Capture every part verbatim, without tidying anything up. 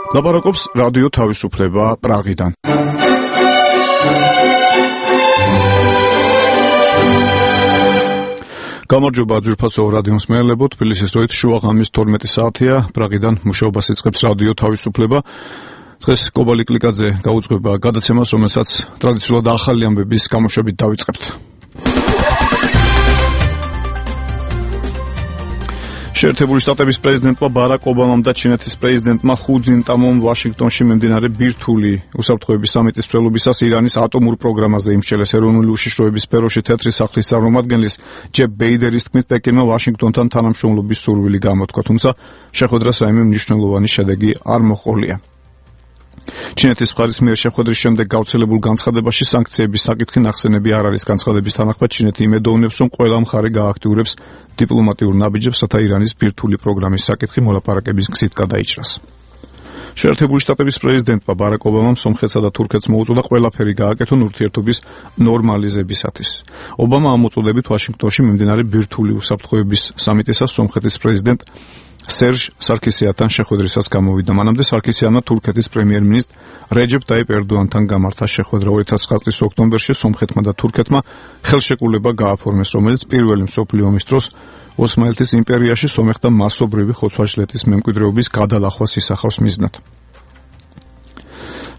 ლაპარაკობს რადიო თავისუფლება პრაღიდან. გამარჯობა ძვირფასო რადიო მსმენელებო, თბილისის დროით შუა ღამის თორმეტი საათია, პრაღიდან მუშაობას იწყებს რადიო თავისუფლება. დღეს კობალი კლიკაძე გაუძღვება გადაცემას, რომელსაც ტრადიციულად ახალი ამბების გამოშვებით დავიწყებთ. შეერთებული შტატების პრეზიდენტმა ბარაკ ობამამ და ჩინეთის პრეზიდენტმა ხუ ძინტამომ ვაშინგტონში მიმდინარე ბირთვული უსაფრთხოების სამიტის მსვლელობისას ირანის ატომურ პროგრამაზე იმსჯელეს ეროვნული უშიშროების სფეროში თეთრი სახლის წარმომადგენლის ჯებ ბეიდერის თქმით, პეკინმა ვაშინგტონთან თანამშრომლობის სურვილი გამოთქვა, თუმცა შეხვედრას რაიმე მნიშვნელოვანი შედეგი არ მოჰყოლია. ჩინეთის მხარის მიერ შეხვედრის შემდეგ გავრცელებულ განცხადებაში სანქციების საკითხი ნახსენები არ არის. განცხადების თანახმად ჩინეთი იმედოვნებს, რომ ყველა მხარე გააქტიურებს დიპლომატიურ ნაბიჯებს, რათა ირანის ბირთვული პროგრამის საკითხი მოლაპარაკების გზით გადაიჭრას. შეერთებული შტატების პრეზიდენტმა ბარაკ ობამამ სომხეთსა და თურქეთს მოუწოდა ყველაფერი გააკეთონ ურთიერთობის ნორმალიზებისათვის. ობამა ამ მოწოდებით ვაშინგტონში მიმდინარე ბირთვული უსაფრთხოების სამიტისას სომხეთის პრეზიდენტ სერჟ სარქისიანთან შეხვედრისას გამოვიდა. მანამდე სარქისიანმა თურქეთის პრემიერ-მინისტრ რეჯეპ ტაიპ ერდოანთან გამართა შეხვედრა. ორი ათას ცხრა წლის ოქტომბერში სომხეთმა და თურქეთმა ხელშეკრულება გააფორმეს, რომელიც პირველი მსოფლიო ომის დროს ოსმალეთის იმპერიაში სომეხთა მასობრივი ხოცვა-ჟლეტის მემკვიდრეობის გადალახვას ისახავს მიზნად.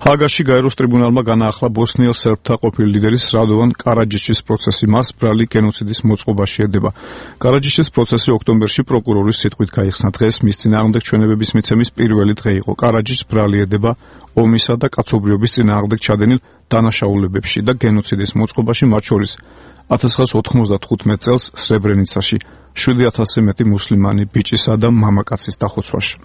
ჰაგაში გაეროს ტრიბუნალმა განაახლა ბოსნიელ სერბთა ყოფილი ლიდერის რადოვან კარაჯიჩის პროცესი. მას ბრალი გენოციდის მოწყობაში ედება. კარაჯიჩის პროცესი ოქტომბერში პროკურორის სიტყვით გაიხსნა. დღეს მის წინააღმდეგ ჩვენებების მიცემის პირველი დღე იყო. კარაჯიჩს ბრალი ედება ომისა და კაცობრიობის წინააღმდეგ ჩადენილ დანაშაულებებში და გენოციდის მოწყობაში, მათ შორის ათას ცხრაას ოთხმოცდათხუთმეტ წელს სრებრენიცაში შვიდი ათასზე მეტი მუსლიმანი ბიჭისა და მამაკაცის დახოცვაში.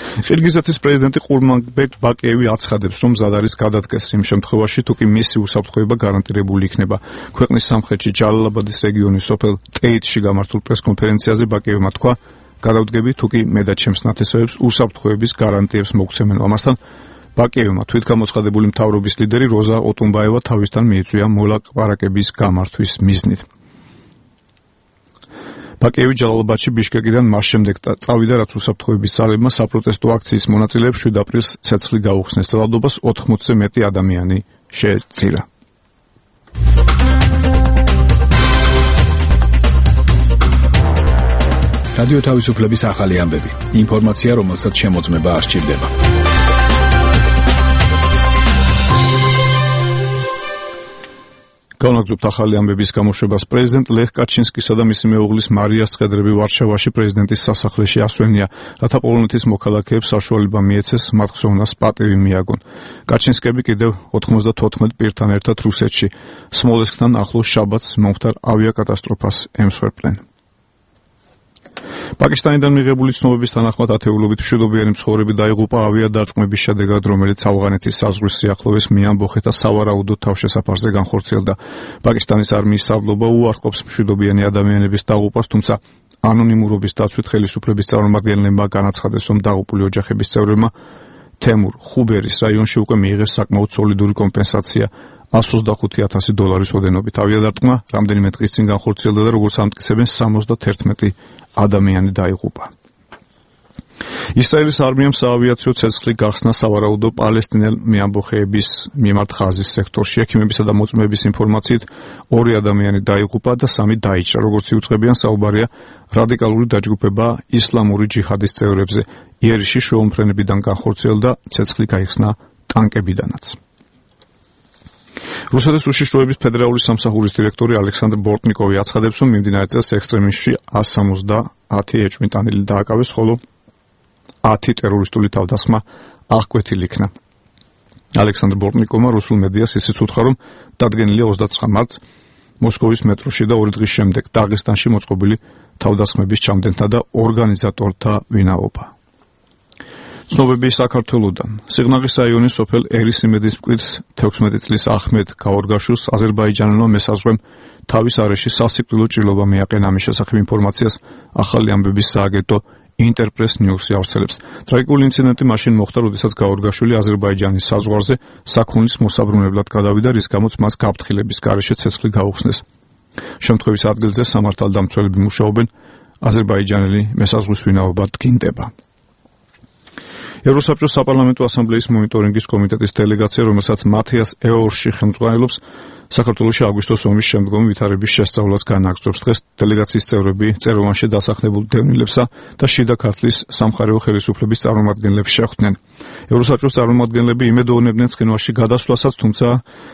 ყირგიზეთის პრეზიდენტი ყურმანბეკ ბაკიევი აცხადებს, რომ მზად არის გადადგეს იმ შემთხვევაში, თუ კი მისი უსაფრთხოება გარანტირებული იქნება. ქვეყნის სამხრეთში ჯალალაბადის რეგიონის სოფელ ტეიტში გამართულ პრესკონფერენციაზე ბაკიევმა თქვა, გადავდგები, თუ კი მე და ჩემს ნათესავებს უსაფრთხოების გარანტიებს მოგცემენ. ამასთან ბაკიევმა თვითგამოცხადებული მთავრობის ლიდერი როზა ოტუნბაევა თავისთან მიიწვია მოლაპარაკების გამართვის მიზნით. ბაკიევი ჯალალაბადში ბიშკეკიდან მას შემდეგ წავიდა, რაც უსაფრთხოების ძალებმა საპროტესტო აქციის მონაწილეებს შვიდ აპრილს ცეცხლი გაუხსნეს. ძალადობას ოთხმოცზე მეტი ადამიანი შეეწირა. რადიო თავისუფლების ახალი ამბები. ინფორმაცია, რომელსაც შემოწმება არ სჭირდება. განაგზობთ ახალი ამბების გამოშვებას. პრეზიდენტ ლეხ კაჩინსკისა და მისი მეუღლის მარიას ცხედრები ვარშავაში პრეზიდენტის სასახლეში ასვენია, რათა პოლონეთის მოქალაქეებს საშუალება მიეცეს მათ ხსოვნას პატივი მიაგონ. კაჩინსკები კიდევ ოთხმოცდათოთხმეტ პირთან ერთად რუსეთში სმოლენსკთან ახლოს შაბათს მომხდარ ავიაკატასტროფას ემსხვერპლენ. პაკისტანიდან მიღებული ცნობების თანახმად ათეულობით მშვიდობიანი მცხოვრები დაიღუპა ავიადარწმუნების შედეგად, რომელიც ავღანეთის საზღვრის სიახლოვეს მიამბოხეთა სავარაუდო თავშესაფარზე განხორციელდა. პაკისტანის არმიის სარდლობა უარყოფს მშვიდობიანი ადამიანების დაღუპვას, თუმცა ანონიმურობის დაცვით ხელისუფლების წარმომადგენლებმა განაცხადეს, რომ დაღუპული ოჯახების წევრებმა თემურ ხუბერის რაიონში უკვე მიიღეს საკმაოდ სოლიდური კომპენსაცია εκατს ოცდახუთი ათასი დოლარის ოდენობით. ავიადარწმუნა რამდენიმე დღის წინ განხორციელდა და როგორც ამტკიცებენ სამოცდაერთმეტი ადამიანი დაიღუპა. ისრაელის არმიამ საავიაციო ცეცხლი გახსნა სავარაუდო პალესტინელ მეამბოხეების მიმართ ხაზის სექტორში. ექიმებისა და მოწმეების ინფორმაციით ორი ადამიანი დაიღუპა და სამი დაიჭრა. როგორც იუწყებიან, საუბარია რადიკალური დაჯგუფება ისლამური ჯიჰადის წევრებზე. იერიში შუამფრენებიდან განხორციელდა, ცეცხლი გაიხსნა ტანკებიდანაც. რუსეთის უშიშროების ფედერალური სამსახურის დირექტორი ალექსანდრ ბორტნიკოვი აცხადებს, რომ მიმდინარე წელს ექსტრემისტში εκατს სამოცდაათი ეჭვმიტანილი დააკავეს, ხოლო ათი ტერორისტული თავდასხმა აღკვეთილი იქნა. ალექსანდრ ბორტნიკოვმა რუსულ მედიას ისიც უთხრა, რომ დადგენილია ოცდაცხრა მარტს მოსკოვის მეტროში და ორი დღის შემდეგ დაღესტანში მოწყობილი თავდასხმების ჩამდენთა და ორგანიზატორთა ვინაობა. ცნობები საქართველოდან. სიღნაღის რაიონის სოფელ ერისიმედის მკვიდრს თექვსმეტი წლის ახმედ გაორგაშვილს აზერბაიჯანელმა მესაზღვრემ თავის არეში სასიკვდილო ჭრილობა მიაყენა. ამის შესახებ ინფორმაციას ახალი ამბების სააგენტო ინტერპრეს ნიუსი ავრცელებს. ტრაგიკული ინციდენტი მაშინ მოხდა, როდესაც გაორგაშვილი აზერბაიჯანის საზღვარზე საქონლის მოსაბრუნებლად გადავიდა, რის გამოც მას გაფრთხილების გარეშე ცეცხლი გაუხსნეს. შემთხვევის ადგილზე სამართალდამცველები მუშაობენ, აზერბაიჯანელი მესაზღვის ვინაობა დგინდება. ევროსაბჭოს საპარლამენტო ასამბლეის მონიტორინგის კომიტეტის დელეგაცია, რომელსაც მათიას ეორში ხელმძღვანელობს, საქართველოში აგვისტოს ომის შემდგომი ვითარების შესწავლას განაგრძობს. დღეს დელეგაციის წევრები წეროვანში დასახლებულ დევნილებსა და შიდა ქართლის სამხარეო ხელისუფლების წარმომადგენლებს შეხვდნენ. ევროსაბჭოს წარმომადგენლები იმედოვნებდნენ ცხინვალში გადასვლასაც, თუმცა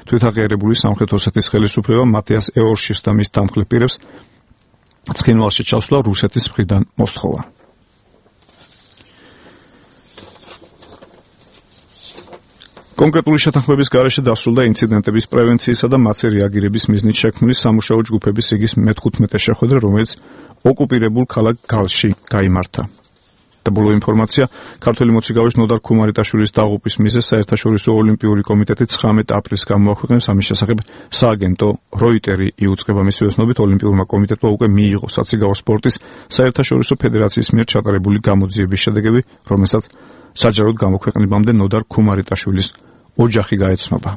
თვითაღიარებული სამხრეთ ოსეთის ხელისუფლება მათიას ეორშის და მის დამხლებ პირებს ცხინვალში ჩასვლა რუსეთის მხრიდან მოსთხოვა. კონკრეტული შეთანხმების გარეშე დასრულდა ინციდენტების პრევენციისა და მათზე რეაგირების მიზნით შექმნილი სამუშაო ჯგუფების რიგის მეთხუთმეტე შეხვედრა, რომელიც ოკუპირებულ ქალაქ გალში გაიმართა. და ბოლო ინფორმაცია, ქართველი მოციქავის ნოდარ ქუმარიტაშვილის დაღუპვის მიზეზს საერთაშორისო ოლიმპიური კომიტეტი ცხრამეტ აპრილს გამოაქვეყნებს. ამის შესახებ სააგენტო როიტერი იუწყება. მისი ოცნობით ოლიმპიურმა კომიტეტმა უკვე მიიღო საციგაო სპორტის საერთაშორისო ფედერაციის მიერ ჩატარებული გამოძიების შედეგები, რომელსაც საჯაროდ გამოქვეყნებამდე ნოდარ ქუმარიტაშვილის ოჯახი გაეცნობა.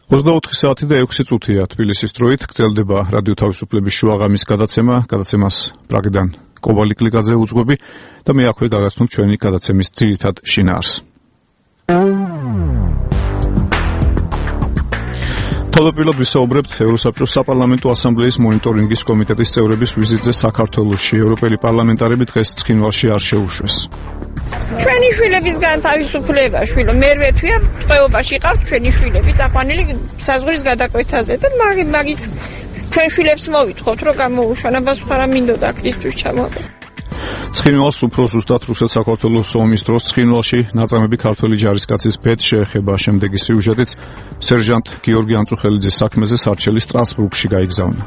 ოცდაოთხი საათი და ექვსი წუთია თბილისის დროით გრძელდება რადიო თავისუფლების შუაღამის გადაცემა. გადაცემას პრაღიდან კობალი კლიკაძე უძღვები და მე აქვე გაგაცნობ ჩვენი გადაცემის ძირითად შინაარსს. თავდაპირველად ვისაუბრებთ ევროსაბჭოს საპარლამენტო ასამბლეის მონიტორინგის კომიტეტის წევრების ვიზიტზე საქართველოში. ევროპელი პარლამენტარები დღეს ცხინვალში არ შეუშვეს. ჩვენი შვილებისგან თავისუფლება, შვილო, მერვე თვეა ტყვეობაში ყავთ ჩვენი შვილები, წაყვანილი საზღვრის გადაკვეთაზე და მაგის ჩვენ შვილებს მოვითხოვთ, რომ გამოუშვან, აბას ხარა მინდოდა ქრისტეს ჩამოყო. ცხინვალს უფრო ზუსტად რუსეთ-საქართველოს ომის დროს ცხინვალში ნაწამები ქართველი ჯარისკაცის ბედ შეეხება. შემდეგი სიუჟეტიც სერჟანტ გიორგი ანწუხელიძის საქმეზე სარჩელის სტრასბურგში გაიგზავნა.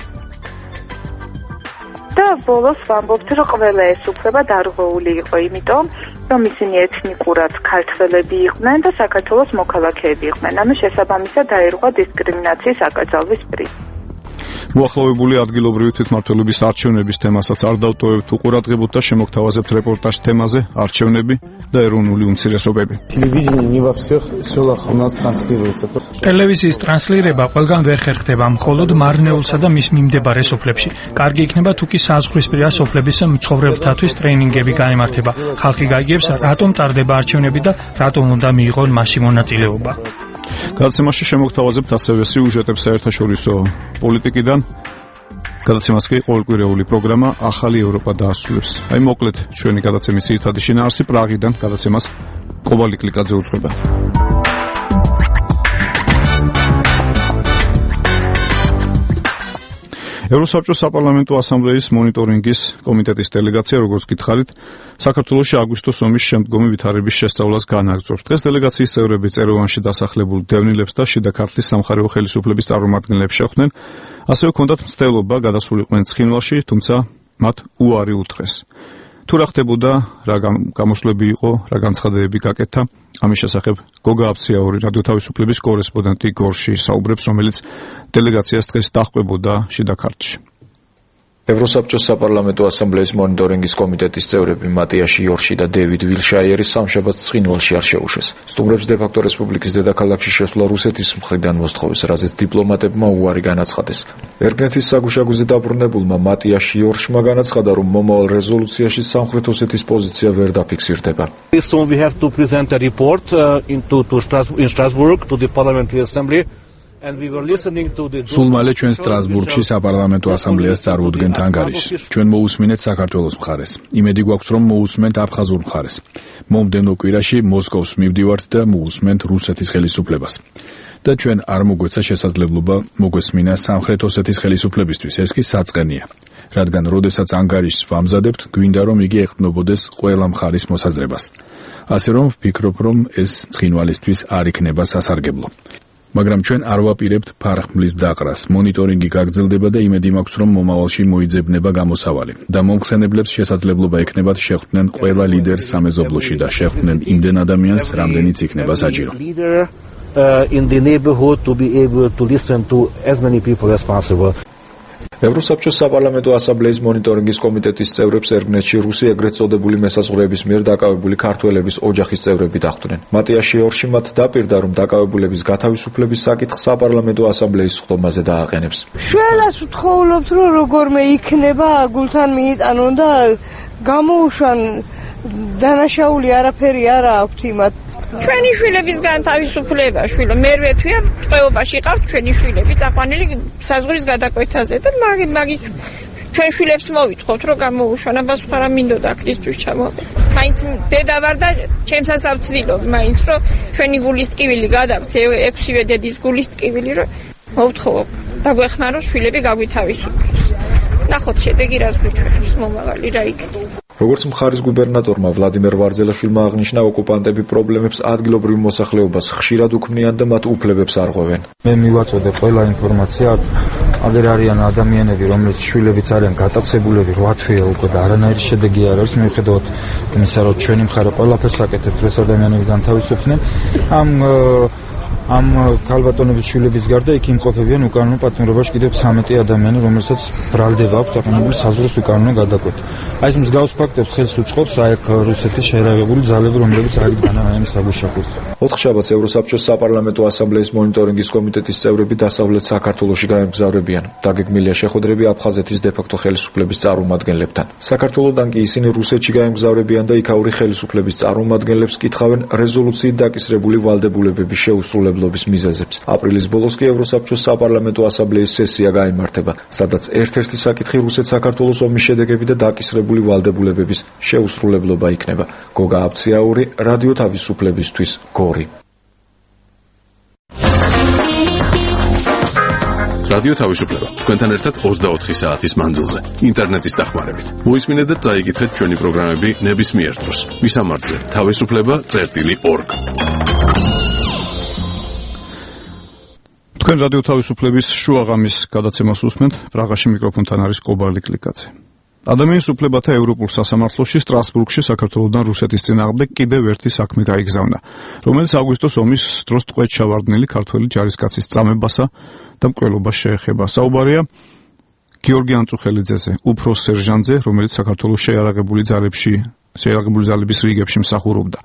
და ბოლოს ვამბობთ, რომ ყველა ეს უფლება დარღვეული იყო, იმიტომ რომ ისინი ეთნიკურად ქართველები იყვნენ და საქართველოს მოქალაქეები იყვნენ. ამის შესაბამისად დაერღვა დისკრიმინაციის აკრძალვის პრიზი. მოახლოვებული ადგილობრივი თვითმმართველობის არჩევნების თემასაც არ დავტოვებთ უყურადღებოთ და შემოგთავაზებთ რეპორტაჟ თემაზე არჩევნები და ეროვნული უმცირესობები. ტელევიზიის ტრანსლირება ყველგან ვერ ხერხდება, მხოლოდ მარნეულსა და მის მიმდებარე სოფლებში. კარგი იქნება თუ კი საზღვრისპირა სოფლების მცხოვრებლთათვის ტრეინინგები გაემართება. ხალხი გაიგებს, რატომ ტარდება არჩევნები და რატომ უნდა მიიღონ მასში მონაწილეობა. გადაცემაში შემოგთავაზებთ ასევე სიუჟეტებს საერთაშორისო პოლიტიკიდან. გადაცემას კი ყოველკვირეული პროგრამა ახალი ევროპა დაასრულებს. აი მოკლედ ჩვენი გადაცემის ძირითადი შინაარსი პრაღიდან გადაცემას კობალი კლიკაძე უძღვება. ევროსაბჭოს საპარლამენტო ასამბლეის მონიტორინგის კომიტეტის დელეგაცია, როგორც გითხარით, საქართველოში აგვისტოს ომის შემდგომი ვითარების შესწავლას განაგრძობს. დღეს დელეგაციის წევრები წეროვანში დასახლებულ დევნილებს და შიდა ქართლის სამხარეო ხელისუფლების წარმომადგენლებს შეხვდნენ. ასევე ჰქონდათ მცდელობა გადასულიყვნენ ცხინვალში, თუმცა მათ უარი უთხრეს. თუ რა ხდებოდა, რა გამოსვლები იყო, რა განცხადებები გაკეთა, ამის შესახებ გოგა აბციაური რადიო თავისუფლების კორესპონდენტი გორში საუბრებს, რომელიც დელეგაციას დღეს დაჰყვებოდა შიდა ქართლში. ევროსაბჭოს საპარლამენტო ასამბლეის მონიტორინგის კომიტეტის წევრები მატიაში იორში და დევიდ ვილშაიერი სამშაბათს ცხინვალში არ შეუშვეს. სტუმრებს დე-ფაქტო რესპუბლიკის დედაქალაქში შესვლა რუსეთის მხრიდან მოსთხოვეს, რაზეც დიპლომატებმა უარი განაცხადეს. ერგნეთის საგუშაგოზე დაბრუნებულმა მატიაში იორშმა განაცხადა, რომ მომავალ რეზოლუციაში სამხრეთ ოსეთის პოზიცია ვერ დაფიქსირდება. Soon we have to present a report uh, into to Strasbourg, in Strasbourg to the Parliamentary Assembly. სულ მალე ჩვენ სტრასბურგში საპარლამენტო ასამბლეას წარუდგენთ ანგარიშს. ჩვენ მოусმინეთ საქართველოს მხარეს. იმედი გვაქვს, რომ მოусმენთ აფხაზურ მხარეს. მომდევნო კვირაში მოსკოვს მივდივართ და მოусმენთ რუსეთის ხელისუფლებას. და ჩვენ არ მოგვეცა შესაძლებლობა მოგვესმინა სამხრეთ ოსეთის ხელისუფლებისთვის. ეს კი საწყენია. რადგან როდესაც ანგარიშს ვამზადებთ, გვინდა რომ იგი ეყრდნობოდეს ყველა მხარის მოსაზრებას. ასე რომ ვფიქრობ, რომ ეს ცხინვალისთვის არ იქნება სასარგებლო. მაგრამ ჩვენ არ ვაპირებთ ფარხმლის დაყრას. მონიტორინგი გაგრძელდება და იმედი მაქვს, რომ მომავალში მოიძებნება გამოსავალი და მომხსენებლებს შესაძლებლობა ექნებათ შეხვდნენ ყველა ლიდერს სამეზობლოში და შეხვდნენ იმდენ ადამიანს, რამდენიც იქნება საჭირო. In the neighborhood to be able to listen to as many people as possible. ევროსაბჭოს საპარლამენტო ასამბლეის მონიტორინგის კომიტეტის წევრებს ერგნეთში რუსი ეგრეთ წოდებული მესაზღვრეების მიერ დაკავებული ქართველების ოჯახის წევრები დახვდნენ. მატიას შეორში მათ დაპირდა, რომ დაკავებულების გათავისუფლების საკითხს საპარლამენტო ასამბლეის სხდომაზე დააყენებს. შველას ვთხოვობთ, რომ როგორმე იქნება გულთან მიიტანონ და გამოუშვან დანაშაული არაფერი არა აქვთ იმათ. ჩვენი შვილების განთავისუფლება, შვილო, მერვე თვეა ტყვეობაში ყავთ ჩვენი შვილები, წაყვანილი საზღვრის გადაკვეთაზე და მაგის ჩვენ შვილებს მოვითხოვთ, რომ გამოუშვან, აბას ხარა მინდოდა ქრისტეს ჩამოვედი. მაინც დედა ვარ და ჩემსასაც ვცდილობ, მაინც რომ ჩვენი გულის ტკივილი გადავცე, ექვსივე დედის გულის ტკივილი, რომ მოვთხოვო, დაგვეხმაროს შვილები გავითავისუფლოს. ნახოთ შედეგი რას გვიჩვენებს მომავალი რა იქნება. როგორც მხარის გუბერნატორმა ვლადიმერ ვარძელაშვილმა აღნიშნა, ოკუპანტები პრობლემებს ადგილობრივ მოსახლეობას ხშირად უქმნიან და მათ უფლებებს არღვევენ. მე მივაწოდე ყველა ინფორმაცია, აგერ არიან ადამიანები, რომლის შვილებიც არიან გატაცებულები რვა თვეა უკვე და არანაირი შედეგი არ არის, მიუხედავად იმისა, რომ ჩვენი მხარე ყველაფერს აკეთებს, ეს ადამიანები განთავისუფლდნენ. ამ ამ ქალბატონების შვილების გარდა იქ იმყოფებიან უკანონო პატიმრობაში კიდევ ცამეტი ადამიანი, რომელსაც ბრალდება აქვს აყენებული საზღვრის უკანონო გადაკვეთა. აი ეს მსგავს ფაქტებს ხელს უწყობს აი აქ რუსეთის შეერაღებული ძალები, რომლებიც აიგ განანაემ საგუშაფოს. ოთხშაბათს ევროსაბჭოს საპარლამენტო ასამბლეის მონიტორინგის კომიტეტის წევრები დასავლეთ საქართველოში გაემგზავრებიან. დაგეგმილია შეხვედრები აფხაზეთის დე-ფაქტო ხელისუფლების წარმომადგენლებთან. საქართველოდან კი ისინი რუსეთში გაემგზავრებიან და იქაური ხელისუფლების წარმომადგენლებს კითხავენ რეზოლუციით დაკისრებული ვალდებულებების შეუსრულებლობის მიზეზებს. აპრილის ბოლოს კი ევროსაბჭოს საპარლამენტო ასამბლეის სესია გაიმართება, სადაც ერთ-ერთი საკითხი რუსეთ-საქართველოს ომის შედეგები და დაკისრებული ვალდებულებების შეუსრულებლობა იქნება. გოგა აბციაური, რადიო თავისუფლებისთვის, გორი. რადიო თავისუფლება თქვენთან ერთად ოცდაოთხი საათის მანძილზე ინტერნეტის დახმარებით. მოისმინეთ და წაიკითხეთ ჩვენი პროგრამები ნებისმიერ დროს. მისამართზე თავისუფლება წერტილი ორგ. თქვენ რადიო თავისუფლების შუაღამის გადაცემას უსმენთ. პრაღაში მიკროფონთან არის კობალი კლიკაძე. ადამიანის უფლებათა ევროპულ სასამართლოში სტრასბურგში საქართველოსთან რუსეთის წინააღმდეგ კიდევ ერთი საქმე გაიგზავნა, რომელიც აგვისტოს ომის დროს ტყვედ ჩავარდნილი ქართველი ჯარისკაცის წამებასა და მკვლელობას შეეხება. საუბარია გიორგი ანწუხელიძეზე, უფროს სერჟანტზე, რომელიც საქართველოს შეიარაღებული ძალებში, შეიარაღებული ძალების რიგებში მსახურობდა.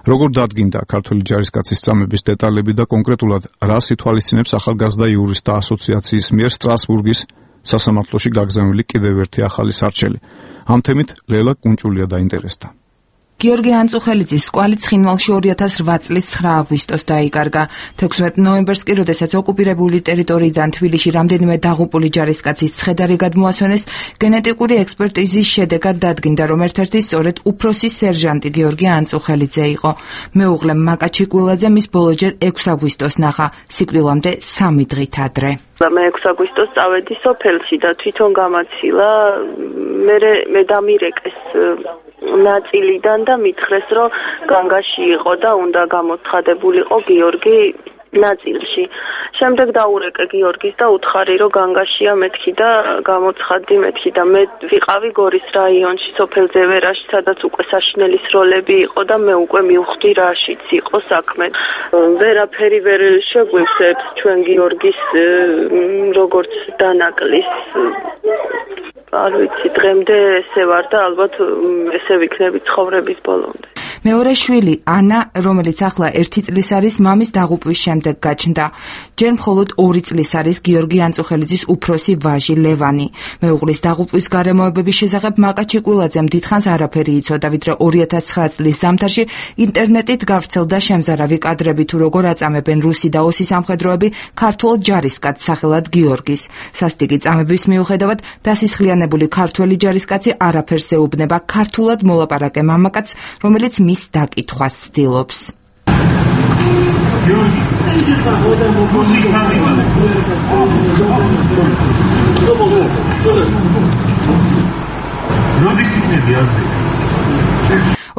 როგორ დადგინდა ქართველი ჯარისკაცის წამების დეტალები და კონკრეტულად რას ითვალისწინებს ახალგაზრდა იურისტთა ასოციაციის მიერ სტრასბურგის სასამართლოში გაგზავნილი კიდევ ერთი ახალი სარჩელი. ამ თემით ლელა კუნჭულია დაინტერესდა. გიორგი ანწუხელიძის კვალი ცხინვალში ორი ათას რვა წლის ცხრა აგვისტოს დაიკარგა. თექვსმეტ ნოემბერს კი, როდესაც ოკუპირებული ტერიტორიიდან თბილისში რამდენიმე დაღუპული ჯარისკაცის ცხედარი გადმოასვენეს, გენეტიკური ექსპერტიზის შედეგად დადგინდა, რომ ერთ-ერთი სწორედ უფროსი სერჟანტი გიორგი ანწუხელიძე იყო. მეუღლე მაკა ჩიკვილაძე მის ბოლოჯერ ექვსი აგვისტოს ნახა, სიკვდილამდე სამი დღით ადრე. მე ექვსი აგვისტოს წავედი სოფელში და თვითონ გამაცილა, მე მე დამირეკეს ნაწილიდან და მითხრეს, რომ განგაში იყო და უნდა გამოცხადებულიყო გიორგი ნაწილში. შემდეგ დაურეკე გიორგის და უთხარი, რომ განგაშია მეთქი და გამოცხადდი მეთქი და მე ვიყავი გორის რაიონში, სოფელ ზევერაში, სადაც უკვე საშინელის როლები იყო და მე უკვე მივხვდი რაშიც იყო საქმე. ვერაფერი ვერ შეგვივსებს ჩვენ გიორგის როგორც დანაკლის. არ ვიცი, დღემდე ესე ვარ და ალბათ ესე ვიქნები ცხოვრების ბოლომდე. მეორე შვილი ანა, რომელიც ახლა ერთი წლის არის, მამის დაღუპვის შემდეგ გაჩნდა. ჯერ მხოლოდ ორი წლის არის გიორგი ანწუხელიძის უფროსი ვაჟი ლევანი. მეუღლის დაღუპვის გარემოებების შესახებ მაკა ჩიკვილაძემ დიდხანს არაფერი იცოდა, ვიდრე ორი ათას ცხრა წლის ზამთარში ინტერნეტით გავრცელდა შემზარავი კადრები თუ როგორ აწამებენ რუსი და ოსი სამხედროები ქართულ ჯარისკაცს სახელად გიორგის. სასტიკი წამების მიუხედავად დასისხლიანებული ქართველი ჯარისკაცი არაფერს ეუბნება ქართულად მოლაპარაკე მამაკაცს, რომელიც მის დაკითხვას ცდილობს.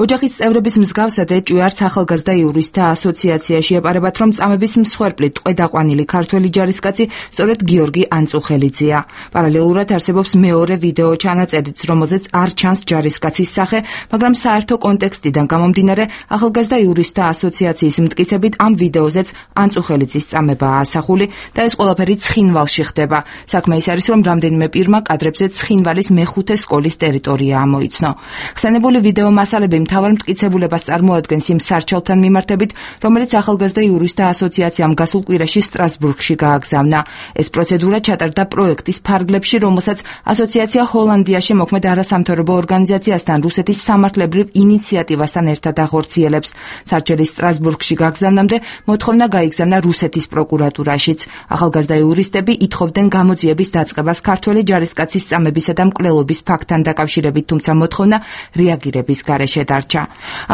ოჯახის წევრების მსგავსად ეჭვი არც ახალგაზრდა იურისტთა ასოციაციაში ეპარებათ, რომ წამების მსხვერპლი ტყვედაყვანილი ქართველი ჯარისკაცი სწორედ გიორგი ანწუხელიძეა. პარალელურად არსებობს მეორე ვიდეო ჩანაწერიც, რომელზეც არ ჩანს ჯარისკაცის სახე, მაგრამ საერთო კონტექსტიდან გამომდინარე, ახალგაზრდა იურისტთა ასოციაციის მტკიცებით ამ ვიდეოზეც ანწუხელიძის წამებაა ასახული და ეს ყველაფერი ცხინვალში ხდება. საქმე ის არის, რომ რამდენიმე პირმა კადრებზე ცხინვალის მეხუთე სკოლის ტერიტორია ამოიცნო. ხსენებული ვიდეო მასალები მთავარ მტკიცებულებას წარმოადგენს იმ სარჩელთან მიმართებით, რომელიც ახალგაზრდა იურისტთა ასოციაციამ გასულ კვირაში სტრასბურგში გააგზავნა. ეს პროცედურა ჩატარდა პროექტის ფარგლებში, რომელსაც ასოციაცია ჰოლანდიაში მოქმედ არასამთავრობო ორგანიზაციასთან რუსეთის სამართლებრივ ინიციატივასთან ერთად ახორციელებს. სარჩელის სტრასბურგში გაგზავნამდე მოთხოვნა გაიგზავნა რუსეთის პროკურატურაშიც. ახალგაზრდა იურისტები ითხოვდნენ გამოძიების დაწყებას ქართველი ჯარისკაცის წამებისა და მკვლელობის ფაქტთან დაკავშირებით, თუმცა მოთხოვნა რეაგირების გარეშე დარჩა.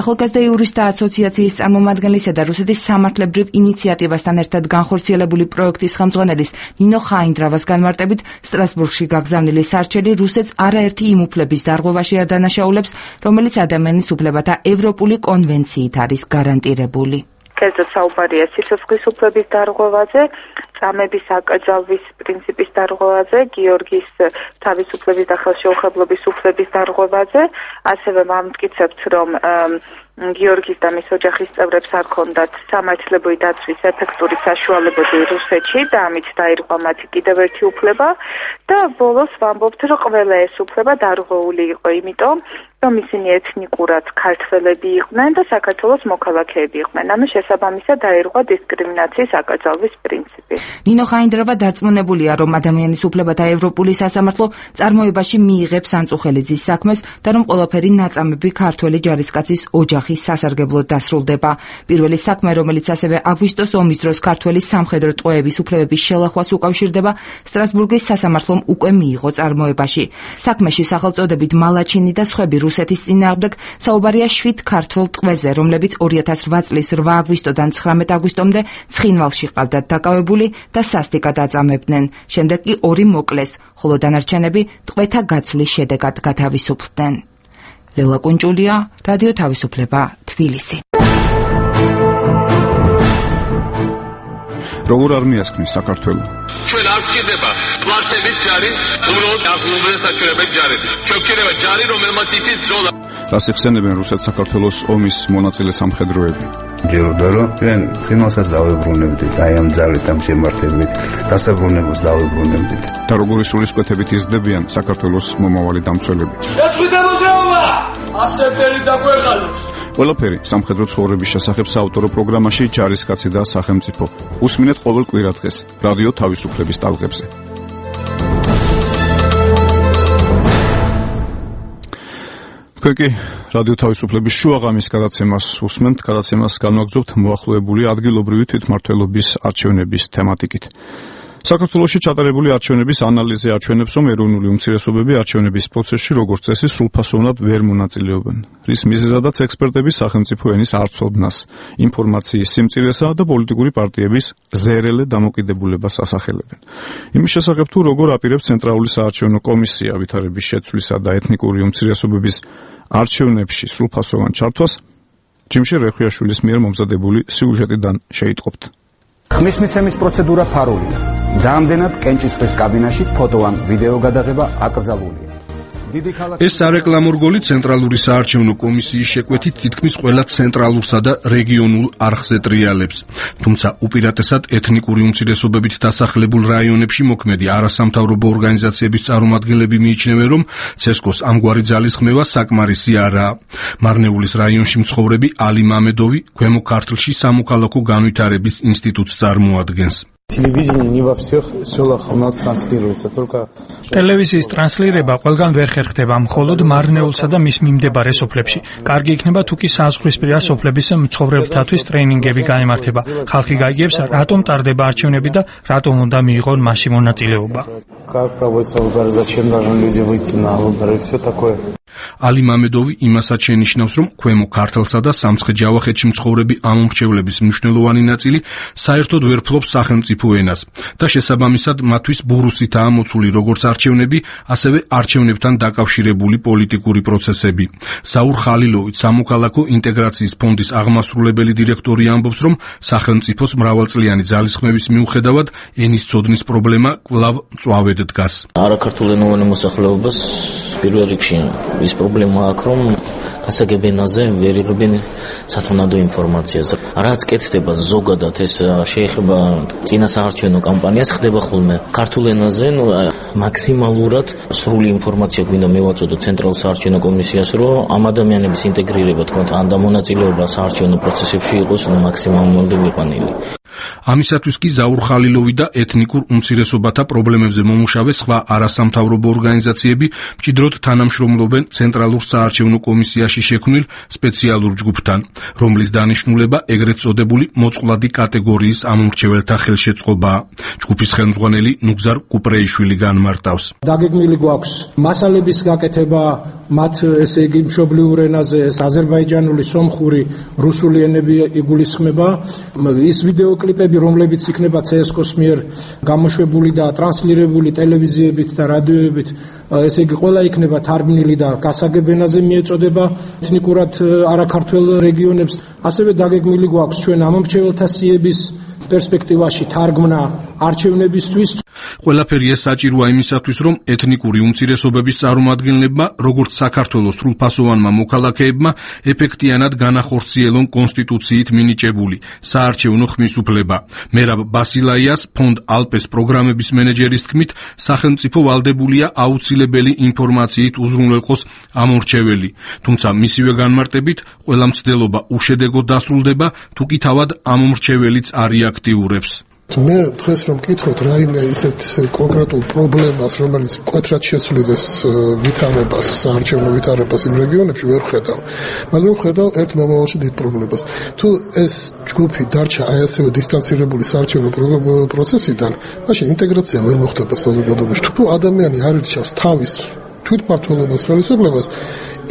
ახალგაზრდა იურისტთა ასოციაციის წარმომადგენლისა და რუსეთის სამართლებრივ ინიციატივასთან ერთად განხორციელებული პროექტის ხელმძღვანელის ნინო ხაინდრავას განმარტებით, სტრასბურგში გაგზავნილი სარჩელი რუსეთს არაერთი იმ უფლების დარღვევაში ადანაშაულებს, რომელიც ადამიანის უფლებათა ევროპული კონვენციით არის გარანტირებული. კერძოდ საუბარია სიცოცხლის უფლების დარღვევაზე, წამების აკრძალვის პრინციპის დარღვევაზე, გიორგის თავისუფლების და ხელშეუხებლობის უფლების დარღვევაზე, ასევე მამტკიცებთ, რომ გიორგის და მის ოჯახის წევრებს არ ქონდათ სამართლებრივი დაცვის ეფექტური საშუალებები რუსეთში და ამით დაირღვა მათი კიდევ ერთი უფლება და ბოლოს ვამბობთ, რომ ყველა ეს უფლება დარღვეული იყო იმიტომ, რომ ისინი ეთნიკურად ქართველები იყვნენ და საქართველოს მოქალაქეები იყვნენ. ამის შესაბამისად დაირღვა დისკრიმინაციის აკრძალვის პრინციპი. ნინო ხაინდროვა დარწმუნებულია, რომ ადამიანის უფლებათა ევროპული სასამართლო წარმოებაში მიიღებს ანწუხელიძის საქმეს და რომ ყველაფერი ნაწამები ქართველი ჯარისკაცის ოჯახის სასარგებლოდ დასრულდება. პირველი საქმე, რომელიც ასევე აგვისტოს ომის დროს ქართველი სამხედრო ტყვეების უფლებების შელახვას უკავშირდება, სტრასბურგის სასამართლომ უკვე მიიღო წარმოებაში. საქმეში სახელწოდებით მალაჩინი და სხვები რუსეთის წინააღმდეგ საუბარია შვიდ ქართველ ტყვეზე, რომლებიც ორი ათას რვა წლის რვა აგვისტოდან ცხრამეტ აგვისტომდე ცხინვალში ყავდათ დაკავებული და სასტიკად აწამებდნენ. შემდეგ კი ორი მოკლეს, ხოლო დანარჩენები ტყვეთა გაცვლის შედეგად გათავისუფლდნენ. ლელა კუნჭულია, რადიო თავისუფლება, თბილისი. როგორ არ მიასქნის საქართველო? ჩვენ არ გვჭირდება პლაცების ჯარი, უბრალოდ აღლუმრენ საჩვენებენ ჯარები. ჩვენ გვჭირდება ჯარი, რომელმაც იცის ბრძოლა. რას იხსენებენ რუსეთ-საქართველოს ომის მონაწილე სამხედროები? ჯეროდა რომ ჩვენ წინასაც დავებრუნებდით, აი ამ ძალით ამ შემართებით, დასაბრუნებლებს დავებრუნებდით. და როგორი სულისკვეთებით იზრდებიან საქართველოს მომავალი დამცველები? ეს ვიდა მოძრაობა! ასეთერი დაგვეღალოს. ყველაფერი სამხედრო ცხოვრების შესახებ საავტორო პროგრამაში ჯარისკაცი და სახელმწიფო. უსმინეთ ყოველ კვირადღეს რადიო თავისუფლების ტალღებზე. თქვენ კი რადიო თავისუფლების შუაღამის გადაცემას უსმენთ, გადაცემას განვაგრძობთ მოახლოებული ადგილობრივი თვითმმართველობის არჩევნების თემატიკით. საქართველოში ჩატარებული არჩევნების ანალიზი აჩვენებს, რომ ეროვნული უმცირესობები არჩევნების პროცესში როგორც წესი სრულფასოვნად ვერ მონაწილეობენ. რის მიზეზადაც ექსპერტები სახელმწიფო ენის არცოდნას, ინფორმაციის სიმწირესა და პოლიტიკური პარტიების ზერელე დამოკიდებულებას ასახელებენ. იმის შესახებ თუ როგორ აპირებს ცენტრალური საარჩევნო კომისია ვითარების შეცვლისა და ეთნიკური უმცირესობების არჩევნებში სრულფასოვან ჩართვას, ჯიმშე რეხვიაშვილის მიერ მომზადებული სიუჟეტიდან შეიტყობთ. ხმის მიცემის პროცედურა ფარულია. Რამდენად კენჭისყრის კაბინაში ფოტო ან ვიდეო გადაღება აკრძალულია. ეს სარეკლამო რგოლი ცენტრალური საარჩევნო კომისიის შეკვეთით თითქმის ყველა ცენტრალურსა და რეგიონულ არხზე ტრიალებს. თუმცა უპირატესად ეთნიკური უმცირესობებით დასახლებულ რაიონებში მოქმედი არასამთავრობო ორგანიზაციების წარმომადგენლები მიიჩნევენ, რომ ცესკოს ამგვარი ძალის ხმევა საკმარისი არაა. მარნეულის რაიონში მცხოვრები ალი მამედოვი ქვემო ქართლში სამოქალაქო განვითარების ინსტიტუტს წარმოადგენს. Телевидение не во всех селах у нас транслируется, только ტელევიზიის ტრანსლირება ყველგან ვერ ხერხდება, მხოლოდ მარნეულსა და მის მიმდებარე სოფლებში. კარგი იქნება თუ კი საზღვრისპირა სოფლების მცხოვრებთათვის ტრეინინგები გაემართება. ხალხი გაიგებს, რატომ ტარდება არჩევნები და რატომ უნდა მიიღონ მასში მონაწილეობა. Как проводятся выборы, зачем должны люди выйти на выборы, все такое. ალი მამედოვი იმასაც შენიშნავს, რომ ქვემო ქართლსა და სამცხე-ჯავახეთში მცხოვრები ამომრჩევლების მნიშვნელოვანი ნაწილი საერთოდ ვერ ფლობს სახელმწიფო ენას და შესაბამისად მათთვის ბურუსითაა მოცული როგორც არჩევნები არჩევნები, ასევე არჩევნებთან დაკავშირებული პოლიტიკური პროცესები. საურ ხალილოვიც, სამოქალაქო ინტეგრაციის ფონდის აღმასრულებელი დირექტორი ამბობს, რომ სახელმწიფოს მრავალწლიანი ძალისხმევის მიუხედავად ენის ცოდნის პრობლემა კვლავ მწვავედ დგას. არაქართულენოვანი მოსახლეობას პირველ რიგში ის პრობლემა აქვს, რომ გასაგებ ენაზე ვერ იღებენ სათანადო ინფორმაციას. რაც კეთდება ზოგადად ეს შეეხება წინა საარჩევნო კამპანიას, ხდება ხოლმე ქართულ ენაზე, ნუ მაქსიმალურად სრული ინფორმაცია გვინდა მევაწოდო ცენტრალურ საარჩევნო კომისიას, რომ ამ ადამიანების ინტეგრირება თქო ან დამონაწილეობა საარჩევნო პროცესებში იყოს ნუ მაქსიმალურად მიყვანილი. ამისათვის კი ზაურ ხალილოვი და ეთნიკურ უმცირესობათა პრობლემებზე მომუშავე სხვა არასამთავრობო ორგანიზაციები მჭიდროდ თანამშრომლობენ ცენტრალურ საარჩევნო კომისიაში შექმნილ სპეციალურ ჯგუფთან, რომლის დანიშნულება ეგრეთ წოდებული მოწყვლადი კატეგორიის ამომრჩეველთა ხელშეწყობაა. ჯგუფის ხელმძღვანელი ნუგზარ კუპრეიშვილი განმარტავს. დაგეგმილი გვაქვს მასალების გაკეთება, მათ ესე იგი მშობლიურ ენაზე, აზერბაიჯანული, სომხური, რუსული ენები იგულისხმება. ის ვიდეო კლიპები, რომლებიც იქნება ცსკ-ს მიერ გამოშვებული და ტრანსლირებული ტელევიზიებით და რადიოებით, ესე იგი ყველა იქნება თარგმნილი და გასაგებ ენაზე მიეწოდება ეთნიკურად არაქართველ რეგიონებს. ასევე დაგეგმილი გვაქვს ჩვენ ამომრჩეველთა სიების პერსპექტივაში თარგმნა არჩევნებისთვის. ყველაფერი ეს საჭიროა იმისათვის, რომ ეთნიკური უმცირესობების წარმომადგენლებმა, როგორც საქართველოს სრულფასოვანმა მოქალაქეებმა, ეფექტიანად განახორციელონ კონსტიტუციით მინიჭებული საარჩევნო ხმის უფლება. მერაბ ბასილაიას ფონდ ალპეს პროგრამების მენეჯერის თქმით, სახელმწიფო ვალდებულია აუცილებელი ინფორმაციით უზრუნველყოს ამორჩეველი. თუმცა მისივე განმარტებით, ყველა მცდელობა უშედეგოდ დასრულდება, თუ კი თავად ამომრჩეველიც არ აქტიურებს. მე დღეს რომ მკითხოთ რაიმე ისეთ კონკრეტულ პრობლემას, რომელიც მკვეთრად შესულიდეს ვითარებას, საარჩევნო ვითარებას იმ რეგიონებში ვერ ხედავ. მაგრამ ხედავ ერთ მომავალში დიდ პრობლემას. თუ ეს ჯგუფი დარჩა აი ასევე დისტანცირებული საარჩევნო პროცესიდან, მაშინ ინტეგრაცია ვერ მოხდება საზოგადოებაში. თუ ადამიანი არ ირჩევს თავის თვითმმართველობას, ხელისუფლებას,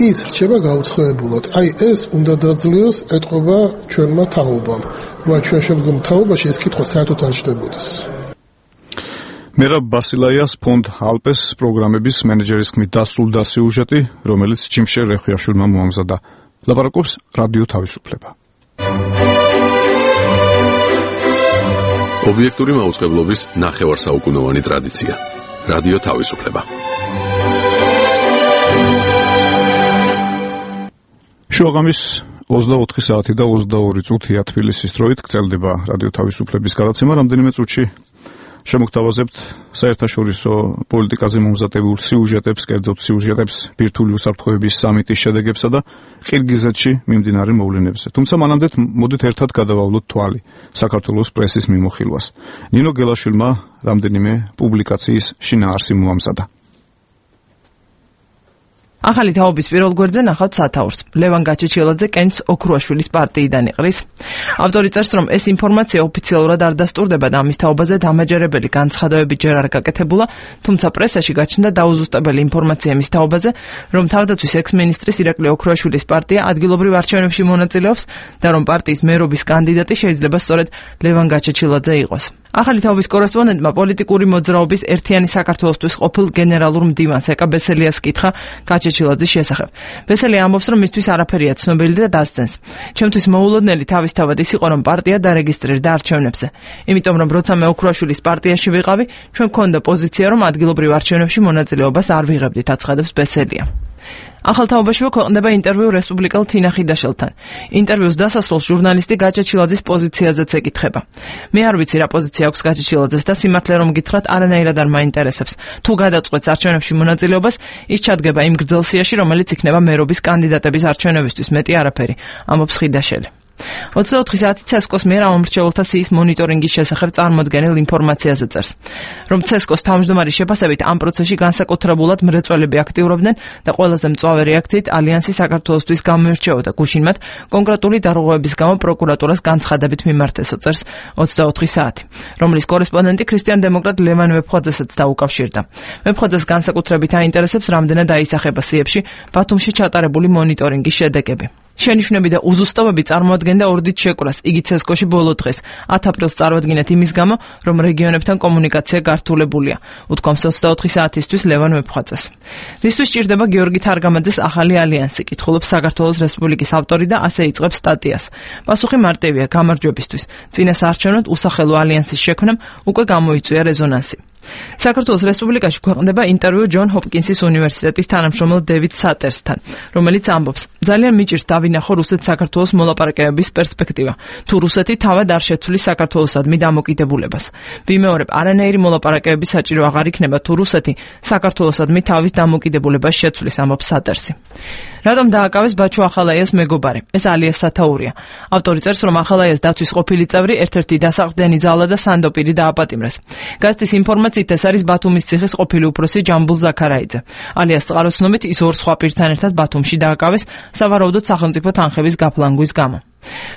ის რჩება გაუცხოებულად. აი ეს უნდა დაძლიოს ეთყობა ჩვენმა თაობამ. რა ჩვენ შემდგომ თაობაში ეს კითხვა საერთოდ არ ჩნდებოდეს. მერაბ ბასილაიას ფონდ ალპეს პროგრამების მენეჯერის თქმით დასრულდა სიუჟეტი, რომელიც ჩიმშერ რეხვიაშვილმა მოამზადა. ლაპარაკობს რადიო თავისუფლება. ობიექტური მაუწყებლობის ნახევარსაუკუნოვანი ტრადიცია. რადიო თავისუფლება. შუაღამის ოცდაოთხი საათი და ოცდაორი წუთია თბილისის დროით გრძელდება რადიო თავისუფლების გადაცემა. რამდენიმე წუთში შემოგთავაზებთ საერთაშორისო პოლიტიკაზე მომზადებულ სიუჟეტებს, კერძოდ სიუჟეტებს ბირთვული უსაფრთხოების სამიტის შედეგებსა და ყირგიზეთში მიმდინარე მოვლენებზე. თუმცა მანამდე მოდით ერთად გადავავლოთ თვალი საქართველოს პრესის მიმოხილვას. ნინო გელაშვილმა რამდენიმე პუბლიკაციის შინაარსი მოამზადა. ახალი თაობის პირველ გვერდზე ნახავთ სათაურს. ლევან გაჩეჩილაძე კენჭს ოქრუაშვილის პარტიიდან იყრის. ავტორი წერს, რომ ეს ინფორმაცია ოფიციალურად არ დასტურდება და ამის თაობაზე დამაჯერებელი განცხადებები ჯერ არ გაკეთებულა, თუმცა პრესაში გაჩნდა დაუზუსტებელი ინფორმაცია მის თაობაზე, რომ თავდაცვის ექს-მინისტრის ირაკლი ოქრუაშვილის პარტია ადგილობრივ არჩევნებში მონაწილეობს და რომ პარტიის მერობის კანდიდატი შეიძლება სწორედ ლევან გაჩეჩილაძე იყოს. ახალი თაობის კორესპონდენტმა პოლიტიკური მოძრაობის ერთიანი საქართველოსთვის ყოფილ გენერალურ მდივანს ეკა ბესელიას კითხა გაჩეჩილაძის შესახებ. ბესელი ამბობს, რომ მისთვის არაფერია ცნობილი და დასცენს. ჩემთვის მოულოდნელი თავისთავად ის იყო, რომ პარტია დარეგისტრირდა არჩევნებზე. იმიტომ რომ როცა მე ოქრუაშვილის პარტიაში ვიყავი, ჩვენ გქონდა პოზიცია, რომ ადგილობრივ არჩევნებში მონაწილეობას არ ვიღებდით, აცხადებს ბესელია. ახალ თაობაშივე ქვეყნდება ინტერვიუ რესპუბლიკელ თინა ხიდაშელთან. ინტერვიუს დასასრულს ჟურნალისტი გაჩეჩილაძის პოზიციაზეც ეკითხება. მე არ ვიცი რა პოზიცია აქვს გაჩეჩილაძეს და სიმართლე რომ გითხრათ, არანაირად არ მაინტერესებს. თუ გადაწყვეტს არჩევნებში მონაწილეობას, ის ჩადგება იმ გრძელ სიაში, რომელიც იქნება მერობის კანდიდატების არჩევნებისთვის, მეტი არაფერი, ამბობს ხიდაშელი. ოცდაოთხი საათი ცსკ-ს მიერ ამომრჩეველთა სიის მონიტორინგის შესახებ წარმოდგენილ ინფორმაციაზე წერს, რომ ცსკ-ს თავმჯდომარის შეფასებით ამ პროცესში განსაკუთრებულად მრეწველები აქტიურობდნენ და ყველაზე მწვავე რეაქციით ალიანსი საქართველოსთვის გამოირჩეოდა გუშინ მათ კონკრეტული დარღვევების გამო პროკურატურას განცხადებით მიმართესო, წერს ოცდაოთხი საათი, რომლის კორესპონდენტი ქრისტიან დემოკრატ ლევან ვეფხვაძესაც დაუკავშირდა. ვეფხვაძეს განსაკუთრებით აინტერესებს, რამდენად აისახება სიებში ბათუმში ჩატარებული მონიტორინგის შედეგები. შენიშვნები და უზუსტობები წარმოადგენდა ორდით შეკვრას. იგი ცესკოში ბოლო დღეს ათ აპრილს წარუადგინეთ იმის გამო, რომ რეგიონებთან კომუნიკაცია გართულებულია, უთქვამს ოცდაოთხი საათისთვის ლევან ვეფხვაძეს. რისთვის სჭირდება გიორგი თარგამაძეს ახალი ალიანსი, კითხულობს საქართველოს რესპუბლიკის ავტორი და ასე იწყებს სტატიას. პასუხი მარტივია, გამარჯვებისთვის. წინა საარჩევნოდ უსახელო ალიანსის შექმნამ უკვე გამოიწვია რეზონანსი. საქართველოს რესპუბლიკაში ქვეყნდება ინტერვიუ ჯონ ჰოპკინსის უნივერსიტეტის თანამშრომელ დევიდ სატერსთან, რომელიც ამბობს: ძალიან მიჭირს დავინახო რუსეთ-საქართველოს მოლაპარაკებების პერსპექტივა. თუ რუსეთი თავად არ შეცვლის საქართველოსადმი დამოკიდებულებას. ვიმეორებ, არანაირი მოლაპარაკებები საჭირო აღარ იქნება, თუ რუსეთი საქართველოსადმი თავის დამოკიდებულებას შეცვლის, ამბობს სატერსი. რატომ დააკავეს ბაჩუ ახალაიას მეგობარი? ეს ალიას სათაურია. ავტორი წერს, რომ ახალაიას დაცვის ყოფილი წევრი ერთ-ერთი დასაყრდენი ძალა და სანდოპირი დააპატიმრეს. გაზეთის ინფორმაციით ეს არის ბათუმის ციხის ყოფილი უფროსი ჯამბულ ზაქარაიძე. ალიას წყაროსნობით ის ორ სხვა პირთან ერთად ბათუმში დააკავეს სავარაუდოდ სახელმწიფო თანხების გაფლანგვის გამო.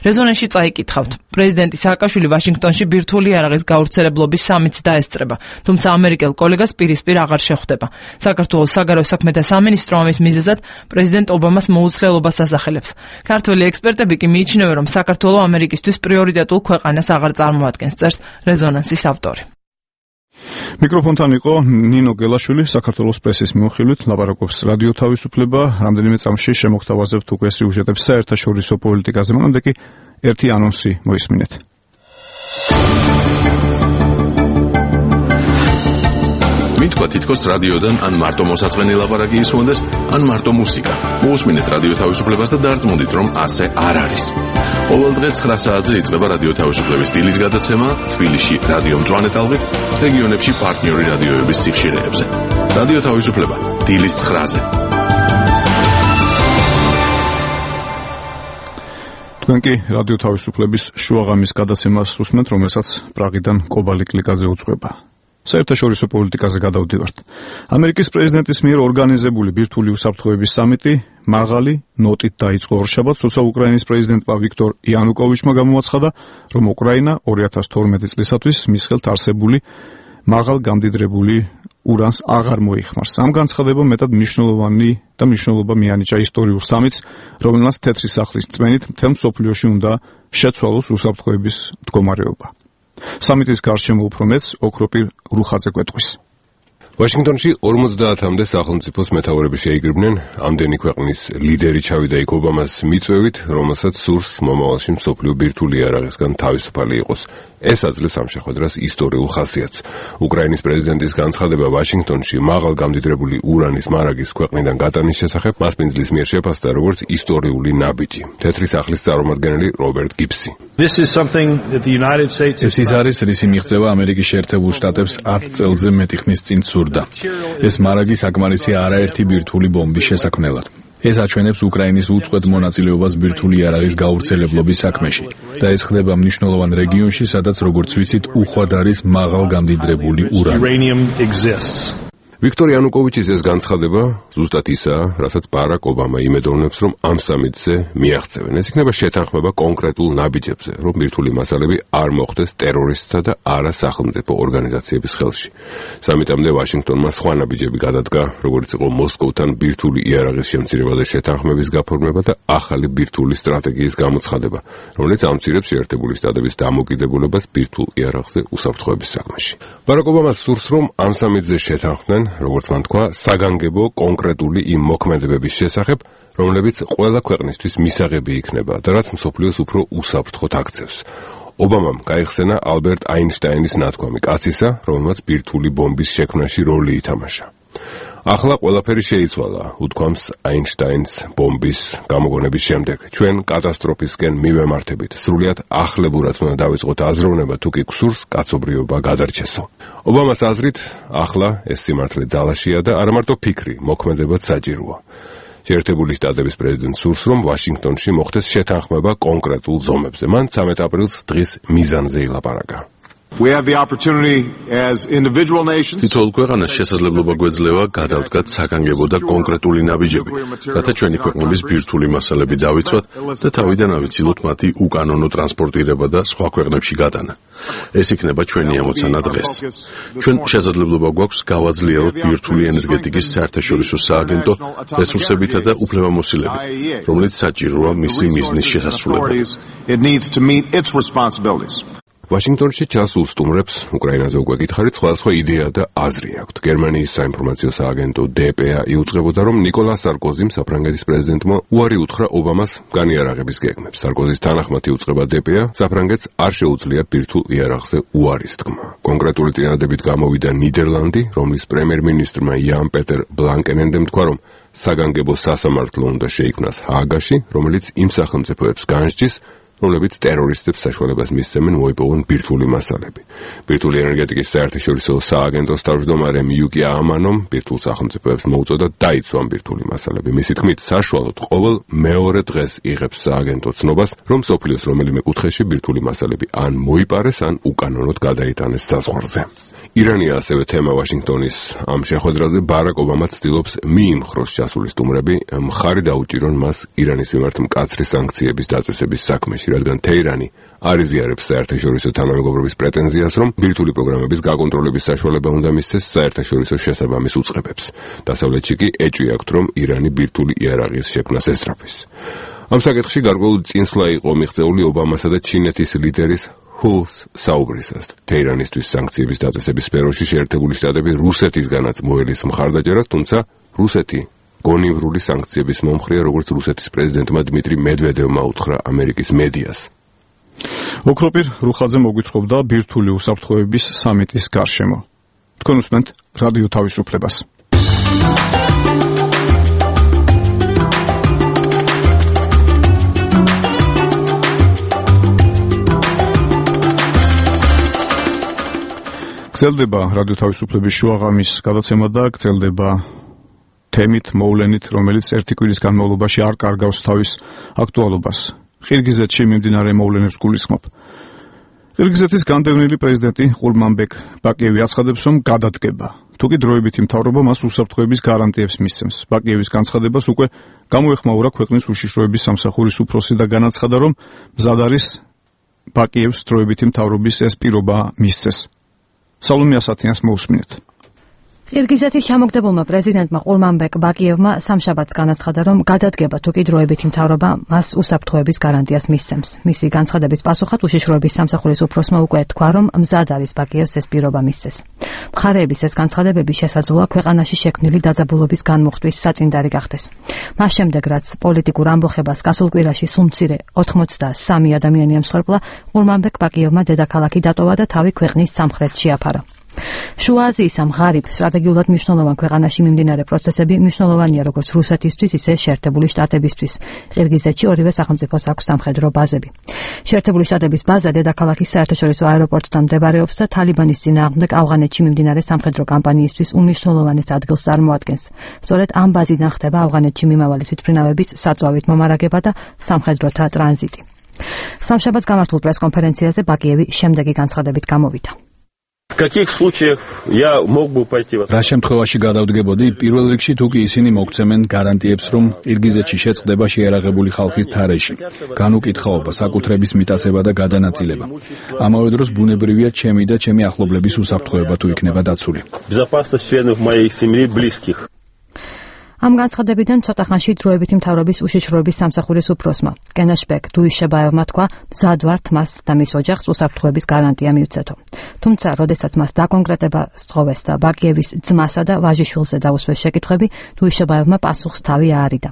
რეზონანსში წაიკითხავთ. პრეზიდენტი სააკაშვილი ვაშინგტონში ბირთვული იარაღის გავრცელებლობის სამიტს დაესწრება, თუმცა ამერიკელ კოლეგას პირისპირ აღარ შეხვდება. საქართველოს საგარეო საქმეთა სამინისტრო ამის მიზეზად პრეზიდენტ ობამას მოუცლელობას ასახელებს. ქართველი ექსპერტები კი მიიჩნევენ, რომ საქართველო ამერიკისთვის პრიორიტეტულ ქვეყანას აღარ წარმოადგენს, წერს რეზონანსის ავტორი. მიკროფონთან იყო ნინო გელაშვილი, საქართველოს პრესის მიმოხილვით ლაპარაკობს რადიო თავისუფლება. რამდენიმე წამში შემოგთავაზებთ უკვე სიუჟეტებს საერთაშორისო პოლიტიკაზე, მანამდე კი ერთი ანონსი მოისმინეთ. მითქვა თითქოს რადიოდან ან მარტო მოსაწყენი ლაპარაკი ისმოდეს, ან მარტო მუსიკა. მოусმინეთ რადიო თავისუფლებას და დარწმუნდით, რომ ასე არ არის. ყოველ დღე ცხრა საათზე იწყება რადიო თავისუფლების დილის გადაცემა, თბილისში რადიო მწვანე ტალღით, რეგიონებში პარტნიორი რადიოების სიხშირეებზე. რადიო თავისუფლება დილის ცხრაზე. თქვენ კი რადიო თავისუფლების შუაღამის გადაცემას უსმენთ, რომელსაც პრაღიდან კობალი კლიკაძე უძღვება. საერთაშორისო პოლიტიკაზე გადავდივართ. ამერიკის პრეზიდენტის მიერ ორგანიზებული ბირთვული უსაფრთხოების სამიტი მაღალი ნოტით დაიწყო ორშაბათს, თუმცა უკრაინის პრეზიდენტმა ვიქტორ იანუკოვიჩმა გამოაცხადა, რომ უკრაინა ორი ათას თორმეტი წლისათვის მის ხელთ არსებული მაღალ გამდიდრებული ურანს აღარ მოიხმარს. ამ განცხადებამ მეტად მნიშვნელოვანი და მნიშვნელობა მიანიჭა ისტორიულ სამიტს, რომელმაც თეთრი სახლის წმენით მთელ მსოფლიოში უნდა შეცვალოს უსაფრთხოების მდგომარეობა. სამიტის გარშემო უფრო მეც ოქროპირ რუხაძე კვეტყვის. ვაშინგტონში ორმოცდაათამდე სახელმწიფოს მეთაურები შეიგრიბნენ, ამდენი ქვეყნის ლიდერი ჩავიდა იქ ობამას მიწვევით, რომელსაც სურს მომავალში მსოფლიო ბირთვული იარაღისგან თავისუფალი იყოს. ეს აძლევს ამ შეხვედრას ისტორიულ ხასიათს. უკრაინის პრეზიდენტის განცხადება ვაშინგტონში მაღალ გამდიდრებული ურანის მარაგის ქვეყნიდან გატანის შესახებ მასპინძლის მიერ შეფასდა როგორც ისტორიული ნაბიჯი. თეთრი სახლის წარმომადგენელი რობერტ გიბსი. ეს ის არის, რისი მიღწევა ამერიკის შეერთებულ შტატებს ათ წელზე მეტი ხნის წინ სურდა. ეს მარაგი საკმარისია არაერთი ბირთვული ბომბის შესაქმნელად. ეს აჩვენებს უკრაინის უწყვეტ მონაწილეობას ბირთვული იარაღის გავრცელებლობის საქმეში და ეს ხდება მნიშვნელოვან რეგიონში, სადაც როგორც ვიცით, უხვად არის მაღალ გამდიდრებული ურანი. ვიქტორ იანუკოვიჩის ეს განცხადება ზუსტად ისაა, რასაც ბარაკ ობამა იმედოვნებს, რომ ამ სამიტზე მიაღწევენ. ეს იქნება შეთანხმება კონკრეტულ ნაბიჯებზე, რომ ბირთვული მასალები არ მოხდეს ტერორისტთა და არა სახელმწიფო ორგანიზაციების ხელში. სამიტამდე ვაშინგტონმა სხვა ნაბიჯები გადადგა, როგორც იყო მოსკოვთან ბირთვული იარაღის შემცირება და შეთანხმების გაფორმება და ახალი ბირთვული სტრატეგიის გამოცხადება, რომელიც ამცირებს შეერთებული შტატების დამოკიდებულებას ბირთვულ იარაღზე უსაფრთხოების საქმეში. ბარაკ ობამას სურს, რომ ამ სამიტზე შეთანხმდნენ, როგორც მან თქვა, საგანგებო კონკრეტული იმ მოქმედებების შესახებ, რომლებიც ყველა ქვეყნისთვის მისაღები იქნება და რაც მსოფლიოს უფრო უსაფრთხოდ აქცევს. ობამამ გაიხსენა ალბერტ აინშტაინის ნათქვამი კაცისა, რომელმაც ბირთვული ბომბის შექმნაში როლი ითამაშა. ახლა ყველაფერი შეიცვალა, უთქვამს აინშტაინს ბომბის გამოგონების შემდეგ. ჩვენ კატასტროფისკენ მივემართებით. სრულიად ახლებურად უნდა დავიწყოთ აზროვნება, თუ კი გსურს კაცობრიობა გადარჩესო. ობამას აზრით, ახლა ეს სიმართლე ძალაშია და არა მარტო ფიქრი, მოქმედებაც საჭიროა. შეერთებული შტატების პრეზიდენტს სურს, რომ ვაშინგტონში მოხდეს შეთანხმება კონკრეტულ ზომებზე. მან ცამეტ აპრილს დღის მიზანზე ილაპარაკა. We have the opportunity as individual nations. თითოეულ ქვეყანას შესაძლებლობა გვეძლევა გადავდგათ საგანგებო და კონკრეტული ნაბიჯები, რათა ჩვენი ქვეყნების ბირთვული მასალები დავიცვათ და თავიდან ავიცილოთ მათი უკანონო ტრანსპორტირება და სხვა ქვეყნებში გატანა. ეს იქნება ჩვენი ამოცანა დღეს. ჩვენ შესაძლებლობა გვაქვს გავაძლიეროთ ბირთვული ენერგეტიკის საერთაშორისო სააგენტო რესურსებითა და უფლებამოსილებით, რომელიც საჭიროა მისი მიზნის შესასრულებლად. It needs to meet its responsibilities. ვაშინგტონში ჩასულ სტუმრებს უკრაინაზე უკვე გითხარით, სხვადასხვა იდეა და აზრი აქვთ. გერმანიის საინფორმაციო სააგენტო დე პე ა იუწყებოდა, რომ ნიკოლას სარკოზიმ, საფრანგეთის პრეზიდენტმა, უარი უთხრა ობამას განიარაღების გეგმებს. სარკოზის თანახმად იუწყება დე პე ა, საფრანგეთს არ შეუძლია ბირთვულ იარაღზე უარის თქმა. კონკრეტული წინადადებით გამოვიდა ნიდერლანდი, რომლის პრემიერ-მინისტრმა იან პეტერ ბლანკენენდემ თქვა, რომ საგანგებო სასამართლო უნდა შეიქმნას ჰააგაში, რომელიც იმ სახელმწიფოებს განსჯის, რომლებიც ტერორისტებს საშუალებას მისცემენ მოიპოვონ ბირთვული მასალები. ბირთვული ენერგეტიკის საერთაშორისო სააგენტოს თავმჯდომარე მიუკი ამანომ ბირთვულ სახელმწიფოებს მოუწოდა დაიცვან ბირთვული მასალები. მისი თქმით, საშუალოდ ყოველ მეორე დღეს იღებს სააგენტო ცნობას, რომ სოფლიოს რომელიმე კუთხეში ბირთვული მასალები ან მოიპარეს, ან უკანონოდ გადაიტანეს საზღვარზე. ირანია ასევე თემა ვაშინგტონის ამ შეხვედრაზე. ბარაკ ობამა ცდილობს მიიმხროს ჩასული სტუმრები, მხარი დაუჭირონ მას ირანის მიმართ მკაცრი სანქციების დაწესების საქმეში, რადგან თეირანი არ იზიარებს საერთაშორისო თანამეგობრობის პრეტენზიას, რომ ბირთვული პროგრამების გაკონტროლების საშუალება უნდა მისცეს საერთაშორისო შესაბამის უწყებებს. დასავლეთში კი ეჭვი აქვთ, რომ ირანი ბირთვული იარაღის შექმნას ესწრაფის. ამ საკითხში გარკვეულ წინსვლა იყო მიღწეული ობამასა და ჩინეთის ლიდერის ჰულს საუბრისას. თეირანისთვის სანქციების დაწესების სფეროში შეერთებული შტატები რუსეთისგანაც მოელის მხარდაჭერას, თუმცა რუსეთი გონივრული სანქციების მომხრეა, როგორც რუსეთის პრეზიდენტმა დმიტრი მედვედევმა უთხრა ამერიკის მედიას. ოქროპირ რუხაძე მოგვითხრობდა ბირთვული უსაფრთხოების სამიტის გარშემო. თქვენ უსმენთ რადიო თავისუფლებას. გრძელდება რადიო თავისუფლების შუაღამის გადაცემა და გრძელდება თემით მოვლენით, რომელიც ერთი კვირის განმავლობაში არ კარგავს თავის აქტუალობას. ყირგიზეთში მიმდინარე მოვლენებს გულისხმობ. ყირგიზეთის განდევნილი პრეზიდენტი ყურმანბეკ ბაკიევი აცხადებს, რომ გადადგება. თუკი დროებითი მთავრობა მას უსაფრთხოების გარანტიებს მისცემს. ბაკიევის განცხადებას უკვე გამოეხმაურა ქვეყნის უშიშროების სამსახურის უფროსი და განაცხადა, რომ მზად არის ბაკიევს დროებითი მთავრობის ეს პირობა მისცეს. სალომე ასათიანს მოусმინეთ. ყირგიზეთის ჩამოგდებულმა პრეზიდენტმა ყურმანბეკ ბაკიევმა სამშაბათს განაცხადა, რომ გადადგება თუკი დროებითი მთავრობა მას უსაფრთხოების გარანტიას მისცემს. მისი განცხადების პასუხად უშიშროების სამსახურის უფროსმა უკვე თქვა, რომ მზად არის ბაკიევს ეს პირობა მისცეს. მხარეების ეს განცხადებები შესაძლოა ქვეყანაში შექმნილი დაძაბულობის განმუხტვის საწინდარი გახდეს. მას შემდეგ, რაც პოლიტიკურ ამბოხებას გასულ კვირაში სულ მცირე ოცდასამი ადამიანი ემსხვერპლა, ყურმანბეკ ბაკიევმა დედაქალაქი დატოვა და თავი ქვეყნის სამხრეთში შეაფარა. შუა აზიის ამ ღარიბ სტრატეგიულად მნიშვნელოვან ქვეყანაში მიმდინარე პროცესები მნიშვნელოვანია როგორც რუსეთისთვის, ისე შეერთებული შტატებისთვის. ყირგიზეთში ორივე სახელმწიფოს აქვს სამხედრო ბაზები. შეერთებული შტატების ბაზა დედაქალაქის საერთაშორისო აეროპორტთან მდებარეობს და თალიბანის წინააღმდეგ ავღანეთში მიმდინარე სამხედრო კამპანიისთვის უმნიშვნელოვანეს ადგილს წარმოადგენს. სწორედ ამ ბაზიდან ხდება ავღანეთში მიმავალი თვითმფრინავების საწვავით მომარაგება და სამხედროთა ტრანზიტი. სამშაბათს გამართულ პრესკონფერენციაზე ბაკიევი შემდეგი განცხადებით გამოვიდა. რა შემთხვევაში გადავდგებოდი, პირველ რიგში თუკი ისინი მოგცემენ გარანტიებს, რომ ყირგიზეთში შეწყდება შეიარაღებული ხალხის თარეში, განუკითხაობა, საკუთრების მიტაცება და გადანაწილება. ამავე დროს ბუნებრივია ჩემი და ჩემი ახლობლების უსაფრთხოება თუ იქნება დაცული. ამ განცხადებიდან ცოტა ხანში დროებითი მთავრობის უშიშროების სამსახურის უფროსმა კენაშბეკ დუიშებაევმა თქვა, მზად ვართ მას და მის ოჯახს უსაფრთხოების გარანტია მივცეთო. თუმცა, როდესაც მას დაკონკრეტება სთხოვეს და ბაკიევის ძმასა და ვაჟიშვილზე დაუსვეს შეკითხვები, დუიშებაევმა პასუხს თავი აარიდა.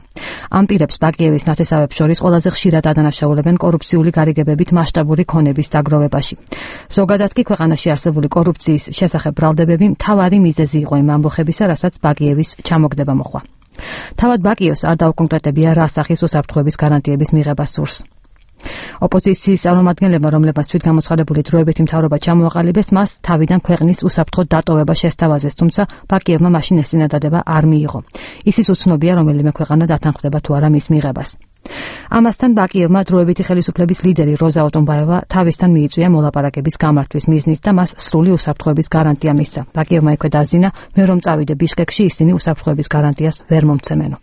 ამ პირებს ბაკიევის ნათესავებს შორის ყველაზე ხშირად ადანაშაულებენ კორუფციული გარიგებებით მასშტაბური ქონების დაგროვებაში. ზოგადად კი ქვეყანაში არსებული კორუფციის შესახებ ბრალდებები მთავარი მიზეზი იყო იმ ამბოხებისა, რასაც ბაკიევის ჩამოგდება მოხდა. თავად ბაკიევს არ დაუკონკრეტებია რა სახის უსაფრთხოების გარანტიების მიღება სურს. ოპოზიციის წარმომადგენლებმა, რომლებმაც თვითგამოცხადებული დროებითი მთავრობა ჩამოაყალიბეს, მას თავიდან ქვეყნის უსაფრთხო დატოვება შესთავაზეს, თუმცა ბაკიევმა მაშინ ეს წინადადება არ მიიღო. ისიც უცნობია, რომელიმე ქვეყანა დათანხმდება თუ არა მის მიღებას. ამასთან ბაკიევმა დროებითი ხელისუფლების ლიდერი როზა ოტომბაევა თავისთან მიიწვია მოლაპარაკების გამართვის მიზნით და მას სრული უსაფრთხოების გარანტია მისცა. ბაკიევმა იქვე დაზინა, მე რომ წავიდე ბიშკეკში, ისინი უსაფრთხოების გარანტიას ვერ მომცემენო.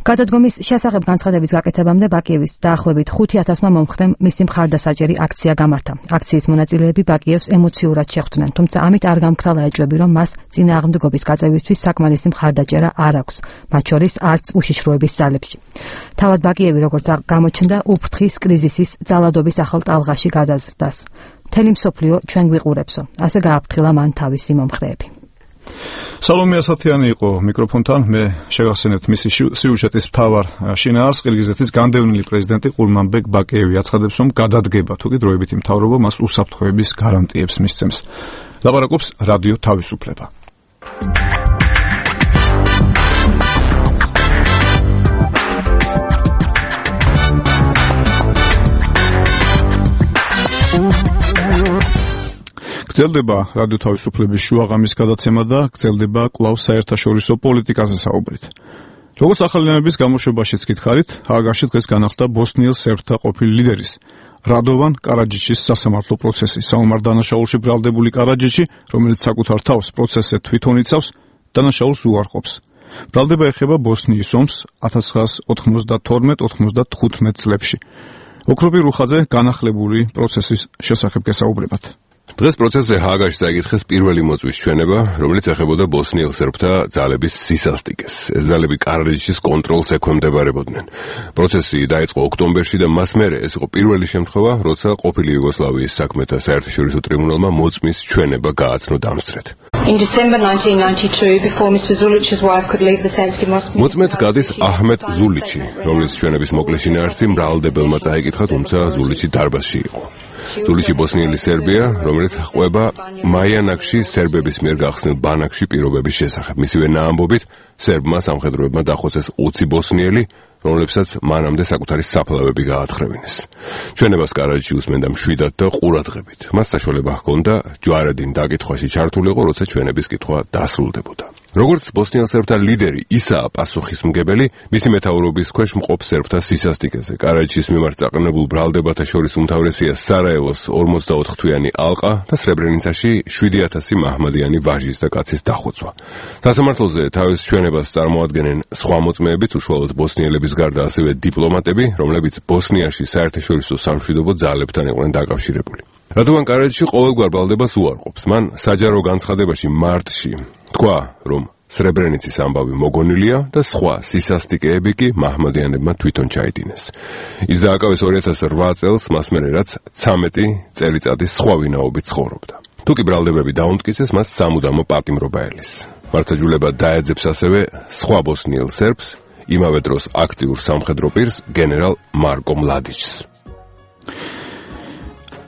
გადადგომის შესახებ განცხადების გაკეთებამდე ბაკიევის დაახლოებით ხუთი ათასმა მომხრემ მისი მხარდასაჭერი აქცია გამართა. აქციის მონაწილეები ბაკიევს ემოციურად შეხვდნენ, თუმცა ამით არ გამქრალა ეჭვები, რომ მას წინააღმდეგობის გაწევისთვის საკმარისი მხარდაჭერა არ აქვს, მათ შორის არც უშიშროების ძალებში. თავად ბაკიევი, როგორც გამოჩნდა, უფრთხის კრიზისის ძალადობის ახალ ტალღაში გადაზრდას. მთელი მსოფლიო ჩვენ გვიყურებსო, ასე გააფრთხილა მან თავისი მომხრეები. სალომე ასათიანი იყო მიკროფონთან, მე შეგახსენებთ მისი სიუჟეტის მთავარ შინაარსს. ყირგიზეთის განდევნილი პრეზიდენტი ყურმანბეგ ბაკიევი აცხადებს, რომ გადადგება თუ კი დროებითი მთავრობა მას უსაფრთხოების გარანტიებს მისცემს. ლაპარაკობს რადიო თავისუფლება. გრძელდება რადიო თავისუფლების შუაღამის გადაცემა და გრძელდება კვლავ საერთაშორისო პოლიტიკაზე საუბრით. როგორც ახალინების გამოშვებაშიც გითხარით, ჰააგაში დღეს განახლდა ბოსნიელ სერბთა ყოფილი ლიდერის რადოვან კარაჯიჩის სასამართლო პროცესი. საომარ დანაშაულში ბრალდებული კარაჯიჩი, რომელიც საკუთარ თავს პროცესზე თვითონ იცავს, დანაშაულს უარყოფს. ბრალდება ეხება ბოსნიის ომს ათას ცხრაასი ოთხმოცდათორმეტ ოთხმოცდათხუთმეტ წლებში. ოქროპი რუხაძე განახლებული პროცესის შესახებ გესაუბრებათ. დღეს პროცესზე ჰააგაში წაიკითხეს პირველი მოწვის ჩვენება, რომელიც ეხებოდა ბოსნიელ სერბთა ძალების სისასტიკეს. ეს ძალები კარაჯიჩის კონტროლს ექვემდებარებოდნენ. პროცესი დაიწყო ოქტომბერში და მას მერე ეს იყო პირველი შემთხვევა, როცა ყოფილი იუგოსლავიის საქმეთა საერთაშორისო ტრიბუნალმა მოწმის ჩვენება გააცნო დამსწრედ. In December nineteen ninety-two, before Mister Zulich's wife could leave the sensitive Moscow. მოწმედ გადის აჰმედ ზულიჩი, რომლის ჩვენების მოკლე შინაარსი მრავლდებელმა წაიკითხა, თუმცა ზულიჩი დარბაზში იყო. ზულიჩი ბოსნიელი სერბია, რომელიც ყვება მაიანაკში სერბების მიერ გახსნილ ბანაკში პირობების შესახებ. მისივე ნაამბობით, სერბმა სამხედროებმა დახოცეს ოცი ბოსნიელი, რომლებსაც მანამდე საკუთარი საფლავები გაათხრევინეს. ჩვენებას კარაჯიჩი უსმენდა მშვიდად და ყურადღებით. მას საშუალება ჰქონდა ჯვარედინ დაკითხვაში ჩართულიყო, როცა ჩვენების კითხვა დასრულდებოდა. როგორც ბოსნიელ სერბთა ლიდერი, ისაა პასუხისმგებელი მისი მეთაურობის ქვეშ მყოფ სერბთა სისასტიკეზე. კარაჯიჩის მიმართ წაყენებულ ბრალდებათა შორის უმთავრესია სარაევოს ორმოცდაოთხ თვიანი ალყა და სრებრენიცაში შვიდი ათასი მაჰმადიანი ვაჟის და კაცის დახოცვა. სასამართლოზე თავის ჩვენებას წარმოადგენენ სხვა მოწმეებიც, უშუალოდ ბოსნიელების გარდა ასევე დიპლომატები, რომლებიც ბოსნიაში საერთაშორისო სამშვიდობო ძალებთან იყვნენ დაკავშირებული. რადოვან კარაჯიჩი ყოველგვარ ბრალდებას უარყოფს. მან საჯარო განცხადებაში მარტში თქვა, რომ სრებრენიცის ამბავი მოგონილია და სხვა სისასტიკეები კი მაჰმადიანებმა თვითონ ჩაიდინეს. ის დააკავეს ორი ათას ოთხ წელს, მას მერე რაც ცამეტი წელიწადის სხვა ვინაობით ცხოვრობდა. თუ კი ბრალდებები დაუმტკიცეს, მას სამუდამო პატიმრობა ელის. მართლმსაჯულება დაეძებს ასევე სხვა ბოსნიელ სერბს, იმავე დროს აქტიურ სამხედრო პირს გენერალ მარკო მლადიჩს.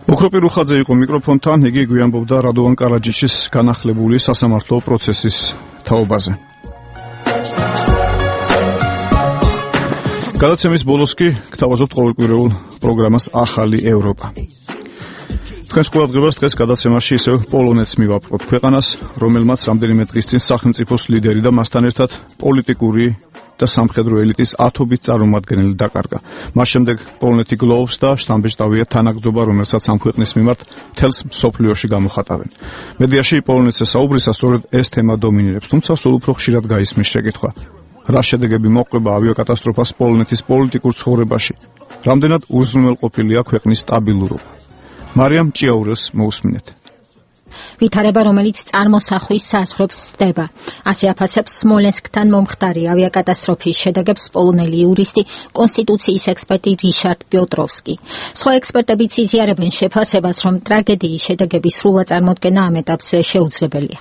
ოქროპი რუხაძე იყო მიკროფონთან, იგი გვიანბობდა რადოვან კარაჯიჩის განახლებული სასამართლო პროცესის თაობაზე. გადაცემის ბოლოს კი გთავაზობთ ყოველკვირეულ პროგრამას ახალი ევროპა. თქვენს ყურადღებას დღეს გადაცემაში ისევ პოლონეთს მივაპყრობთ, ქვეყანას, რომელმაც რამდენიმე დღის წინ სახელმწიფოს ლიდერი და მასთან ერთად პოლიტიკური და სამხედრო ელიტის ათობით წარმომადგენელი დაკარგა. მას შემდეგ პოლონეთი გლოვს და შთამბეჭდავია თანაგრძობა, რომელსაც ამ ქვეყნის მიმართ მთელს მსოფლიოში გამოხატავენ. მედიაში პოლონეთზე საუბრისას სწორედ ეს თემა დომინირებს, თუმცა სულ უფრო ხშირად გაისმის შეკითხვა: რა შედეგები მოჰყვება ავიაკატასტროფას პოლონეთის პოლიტიკურ ცხოვრებაში? რამდენად უზრუნველყოფილია ქვეყნის სტაბილურობა? მარიამ ჭიაურელს მოусმინეთ. ვითარება, რომელიც წარმოსახვის საზღვრებს სდება. ასე აფასებს სმოლენსკთან მომხდარი ავიაკატასტროფის შედეგებს პოლონელი იურისტი, კონსტიტუციის ექსპერტი რიშარდ პიოტროვსკი. სხვა ექსპერტებიც იზიარებენ შეფასებას, რომ ტრაგედიის შედეგების სრულად წარმოდგენა ამ ეტაპზე შეუძლებელია.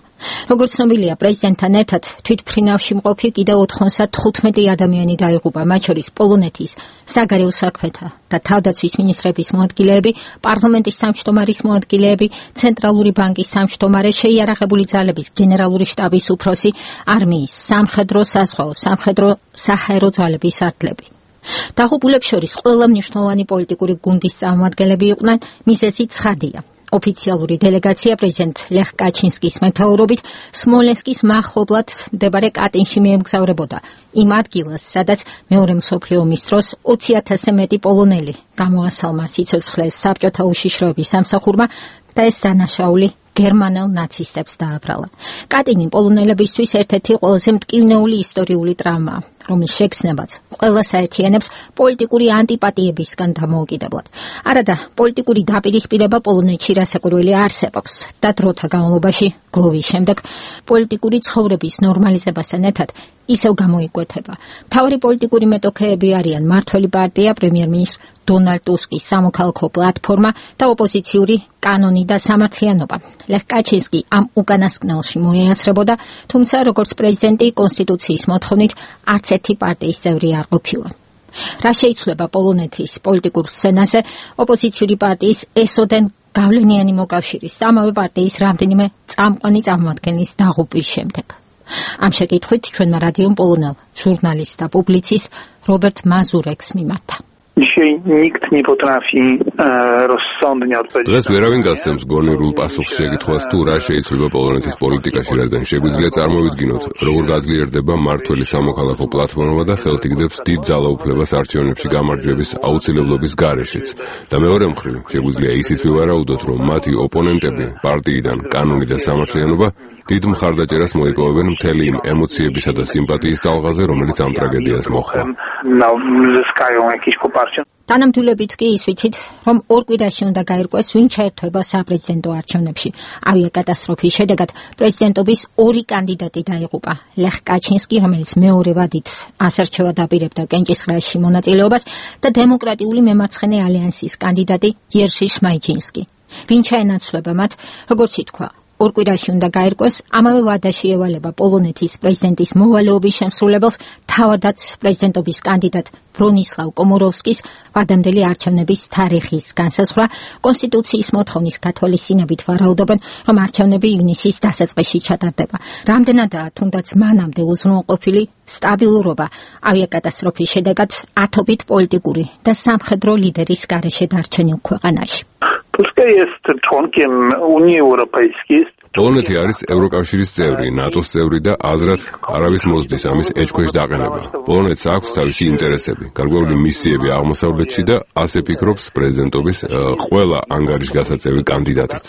როგორც ცნობილია, პრეზიდენტთან ერთად თვითმფრინავში მყოფი კიდევ ოთხმოცდათხუთმეტი ადამიანი დაიღუპა, მათ შორის პოლონეთის საგარეო საქმეთა და თავდაცვის მინისტრების მოადგილეები, პარლამენტის თავმჯდომარის მოადგილეები, ცენტრალური ბანკის თავმჯდომარე, შეიარაღებული ძალების გენერალური შტაბის უფროსი, არმიის, სამხედრო, საზღვაო, სამხედრო, საჰაერო ძალების სარდლები. დაღუპულებს შორის ყველა მნიშვნელოვანი პოლიტიკური გუნდის წარმომადგენლები იყვნენ, მიზეზი ცხადია. ოფიციალური დელეგაცია პრეზიდენტ ლეხ კაჩინსკის მეთაურობით სმოლენსკის მახლობლად მდებარე კატინში მიემგზავრებოდა იმ ადგილას, სადაც მეორე მსოფლიო ომის დროს ოცი ათასზე მეტი პოლონელი გამოასალმა სიცოცხლეს საბჭოთა უშიშროების სამსახურმა და ეს დანაშაული გერმანელ ნაცისტებს დააბრალა. კატინი პოლონელებისთვის ერთ-ერთი ყველაზე მტკივნეული ისტორიული ტრამაა, რომლის შეგრძნებაც ყველას აერთიანებს პოლიტიკური ანტიპატიებისგან დამოუკიდებლად. არადა პოლიტიკური დაპირისპირება პოლონეთში რასაკვირველი არსებობს და დროთა განმავლობაში გლოვის შემდეგ პოლიტიკური ცხოვრების ნორმალიზებასთან ერთად ისევ გამოიკვეთება. მთავარი პოლიტიკური მეტოქეები არიან მმართველი პარტია, პრემიერ-მინისტრ დონალდ ტუსკის სამოქალაქო პლატფორმა და ოპოზიციური კანონი და სამართლიანობა. ლეხ კაჩინსკი ამ უკანასკნელში მოეასრებოდა, თუმცა როგორც პრეზიდენტი კონსტიტუციის მოთხოვნით არც ერთი პარტიის წევრი არ ყოფილა. რა შეიცვლება პოლონეთის პოლიტიკურ სცენაზე ოპოზიციური პარტიის ესოდენ გავლენიანი მოკავშირის და ამავე პარტიის რამდენიმე წამყვანი წარმომადგენლის დაღუპვის შემდეგ. ამ შეკითხვით ჩვენმა რადიომ პოლონელ ჟურნალისტ და პუბლიცისტ რობერტ მაზურეკს მიმართა. დღეს ვერავინ გასცემს გონივრულ პასუხს შეკითხვას თუ რა შეიძლება პოლონეთის პოლიტიკაში, რადგან შეგვიძლია წარმოვიდგინოთ, როგორ გაძლიერდება მმართველი სამოქალაქო პლატფორმა და ხელთიგდებს დიდ ძალაუფლებას არჩევნებში გამარჯვების აუცილებლობის გარეშეც. და მეორე მხრივ, შეგვიძლია ისიც ვივარაუდოთ, რომ მათი ოპონენტები პარტიიდან კანონი და სამართლიანობა დიდ მხარდაჭერას მოიპოვებენ მთელი იმ ემოციებისა და სიმპათიის ტალღაზე, რომელიც ამ ტრაგედიას მოჰყვა. თანამდებობით კი ის ვიცით, რომ ორ კვირაში უნდა გაირკვეს, ვინ ჩაერთვება საპრეზიდენტო არჩევნებში. ავიაკატასტროფის შედეგად პრეზიდენტობის ორი კანდიდატი დაიღუპა. ლეხ კაჩინსკი, რომელიც მეორე ვადით ასერჩევად აპირებდა კენჭისყრაში მონაწილეობას და დემოკრატიული მემარცხენე ალიანსის კანდიდატი იერში შმაიჯინსკი. ვინ ჩაენაცვლება მათ, როგორც ითქვა, ორ კვირაში უნდა გაირკვეს, ამავე ვადაში ევალება პოლონეთის პრეზიდენტის მოვალეობის შემსრულებელს, თავადაც პრეზიდენტობის კანდიდატ ბრონისლავ კომოროვსკის ვადამდელი არჩევნების თარიღის განსაზღვრა. კონსტიტუციის მოთხოვნის გათვალისწინებით ვარაუდობენ, რომ არჩევნები ივნისის დასაწყისში ჩატარდება. რამდენადაა თუნდაც მანამდე უზრუნველყოფილი სტაბილურობა ავიაკატასტროფის შედეგად ათობით პოლიტიკური და სამხედრო ლიდერის გარეშე დარჩენილ ქვეყანაში. პოლონეთი არის ევროკავშირის წევრი, ნატოს წევრი და აზრად არავის მოსდის ამის ეჭქვეშ დაყენება. პოლონეთს აქვს თავისი ინტერესები, გარკვეული მისიები აღმოსავლეთში და ასე ფიქრობს პრეზიდენტობის ყველა ანგარიშგასაწევი კანდიდატიც.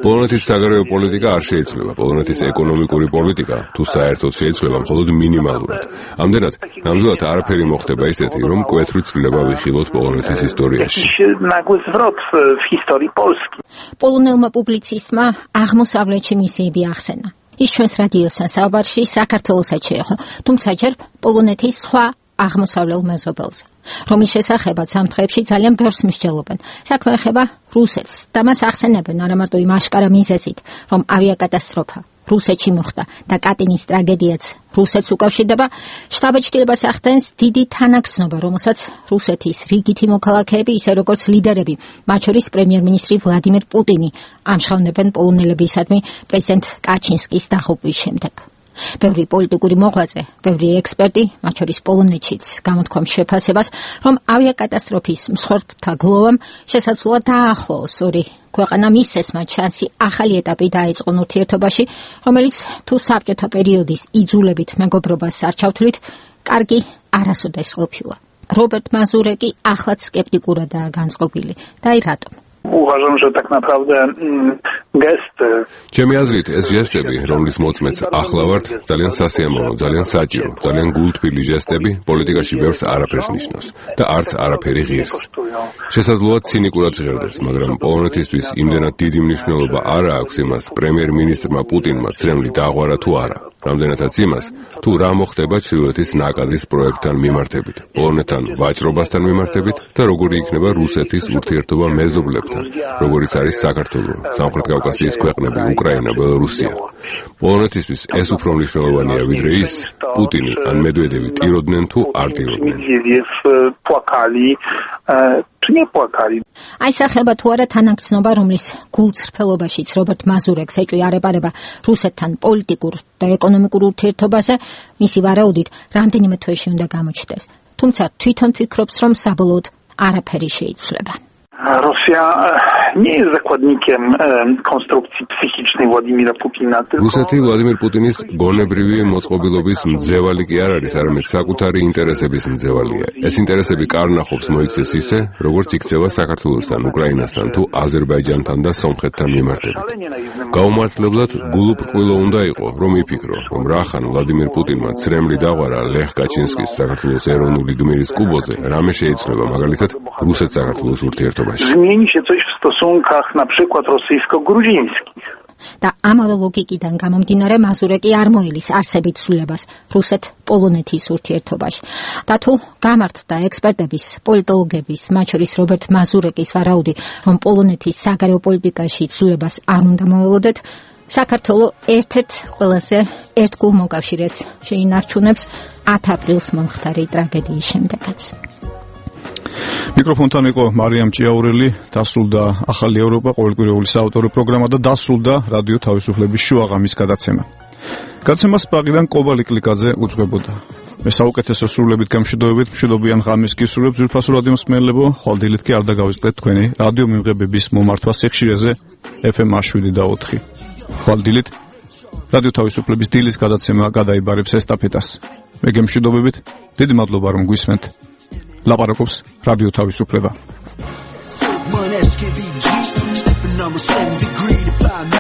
პოლონეთის საგარეო პოლიტიკა არ შეიცვლება. პოლონეთის ეკონომიკური პოლიტიკა თუ საერთოდ შეიცვლება მხოლოდ მინიმალურად. ამდენად, ნამდვილად არაფერი მოხდება ისეთი, რომ მკვეთრი ცვლილება ვიხილოთ პოლონეთის ისტორიაში. პოლონელმა პუბლიცისტმა აღმოსავლეთში მისიები ახსენა. ის ჩვენს რადიოსთან საუბარში საქართველოსაც შეეხო, თუმცა ჯერ პოლონეთის სხვა აღმოსავლელ მეზობელზე, რომლის შესახებაც ამ დღეებში ძალიან ბევრს მსჯელობენ. საქმე ეხება რუსეთს და მას ახსენებენ არამარტო იმ აშკარა მიზეზით, რომ ავიაკატასტროფა რუსეთში მოხდა და კატინის ტრაგედიაც რუსეთს უკავშირდება, შტაბ-ჭრილებას ახდენს დიდი თანაგრძნობა, რომელსაც რუსეთის რიგითი მოქალაქეები, ისე როგორც ლიდერები, მათ შორის პრემიერ-მინისტრი ვლადიმირ პუტინი, ამჟღავნებენ პოლონელებისადმი პრეზიდენტ კაჩინსკის დაღუპვის შემდეგ. ბევრი პოლიტიკური მოღვაწე, ბევრი ექსპერტი, მათ შორის პოლონეთშიც გამოთქვამს შეფასებას, რომ ავიაკატასტროფის მსხვერპლთა გლოვამ შესაძლოა დაახლოოს ორი ქვეყანა მისცეს მათ შანსი ახალი ეტაპი დაეწყონ ურთიერთობაში, რომელიც თუ საბჭოთა პერიოდის იძულებით მეგობრობას არ ჩავთვლით, კარგი არასოდეს ყოფილა. რობერტ მაზურეკი ახლაც სკეპტიკურადაა განწყობილი. და აი რატომ? Uważam, że tak naprawdę gest. ჩემი აზრით, ეს ჟესტები, რომლის მოწმეც ახლა ვართ, ძალიან სასიამოვნო, ძალიან საჭირო, ძალიან გულთბილი ჟესტები პოლიტიკაში ბევრს არაფერს ნიშნავს და არც არაფერი ღირს. შესაძლოა ცინიკურად ჟღერდეს, მაგრამ პოლონეთისთვის იმდენად დიდი მნიშვნელობა არ აქვს იმას, პრემიერ-მინისტრმა პუტინმა ცრემლი დააღვარა თუ არა. რამდენადაც იმას, თუ რა მოხდება ჩრდილოეთის ნაკადის პროექტთან მიმართებით, პოლონეთთან ვაჭრობასთან მიმართებით და როგორი იქნება რუსეთის ურთიერთობა მეზობლებთან, როგორიც არის საქართველო, სამხრეთ კავკასიის ქვეყნები, უკრაინა, ბელორუსია. პოლონეთისთვის ეს უფრო მნიშვნელოვანია, ვიდრე ის, პუტინი ან მედვედევი ტიროდნენ თუ არ ტიროდნენ. აისახება თუ არა თანაგრძნობა, რომლის გულწრფელობაშიც რობერტ მაზურეკს ეჭვი არ ეპარება რუსეთთან პოლიტიკურ და ეკონომიკურ ურთიერთობაზე, მისი ვარაუდით რამდენიმე თვეში უნდა გამოჩნდეს. თუმცა თვითონ ფიქრობს, რომ საბოლოოდ არაფერი შეიცვლება. Rosja nie jest zakładnikiem konstrukcji psychicznej Władimira Putina. რუსეთი ვლადიმირ პუტინის გონებრივი მოწყობილობის მძევალი კი არ არის, არამედ საკუთარი ინტერესების მძევალია. ეს ინტერესები კარნახობს მოიქცეს ისე, როგორც იქცევა საქართველოსთან, უკრაინასთან თუ აზერბაიჯანთან და სომხეთთან მიმართებით. გაუმართლებლად გულუბრყვილო უნდა იყო, რომ იფიქრო, რომ რახან ვლადიმირ პუტინმა ცრემლი დაღვარა ლეხ კაჩინსკის საქართველოს ეროვნული გმირის კუბოზე, რამე შეიცვლება მაგალითად რუსეთ-საქართველოს ურთიერთობა. Zmieni się coś w stosunkach na przykład rosyjsko-gruzińskich. და ამავე ლოგიკიდან გამომდინარე მაზურეკი არ მოელის არსებით ცვლილებას რუსეთ-პოლონეთის ურთიერთობაში. და თუ გამართდა ექსპერტების, პოლიტოლოგების, მათ შორის რობერტ მაზურეკის ვარაუდი, რომ პოლონეთის საგარეო პოლიტიკაში ცვლილებას არ უნდა მოელოდეთ, საქართველოს ერთ-ერთ ყველაზე ერთგულ მოკავშირეს შეინარჩუნებს ათი აპრილს მომხდარი ტრაგედიის შემდეგაც. მიკროფონთან იყო მარიამ ჭიაურელი, დასრულდა ახალი ევროპა ყოველკვირეული საავტორო პროგრამა და დასრულდა რადიო თავისუფლების შუაღამის გადაცემა. გადაცემას პრაღიდან კობალი კლიკაძე უძღვებოდა. მე საუკეთესო სრულებით გამშვიდობებით მშვიდობიან ღამის გისურვებ ძვირფასო რადიო მსმენელებო, ხვალდილით კი არ დაგავიწყდეთ თქვენი რადიო მიმღებების მომართვა სიხშირეზე ეფ ემ შვიდი და ოთხი. ხვალდილით რადიო თავისუფლების დილის გადაცემა გადაიბარებს ესტაფეტას. მე გემშვიდობებით, დიდი მადლობა რომ გვისმენთ. ლაპარაკობს რადიო თავისუფლება.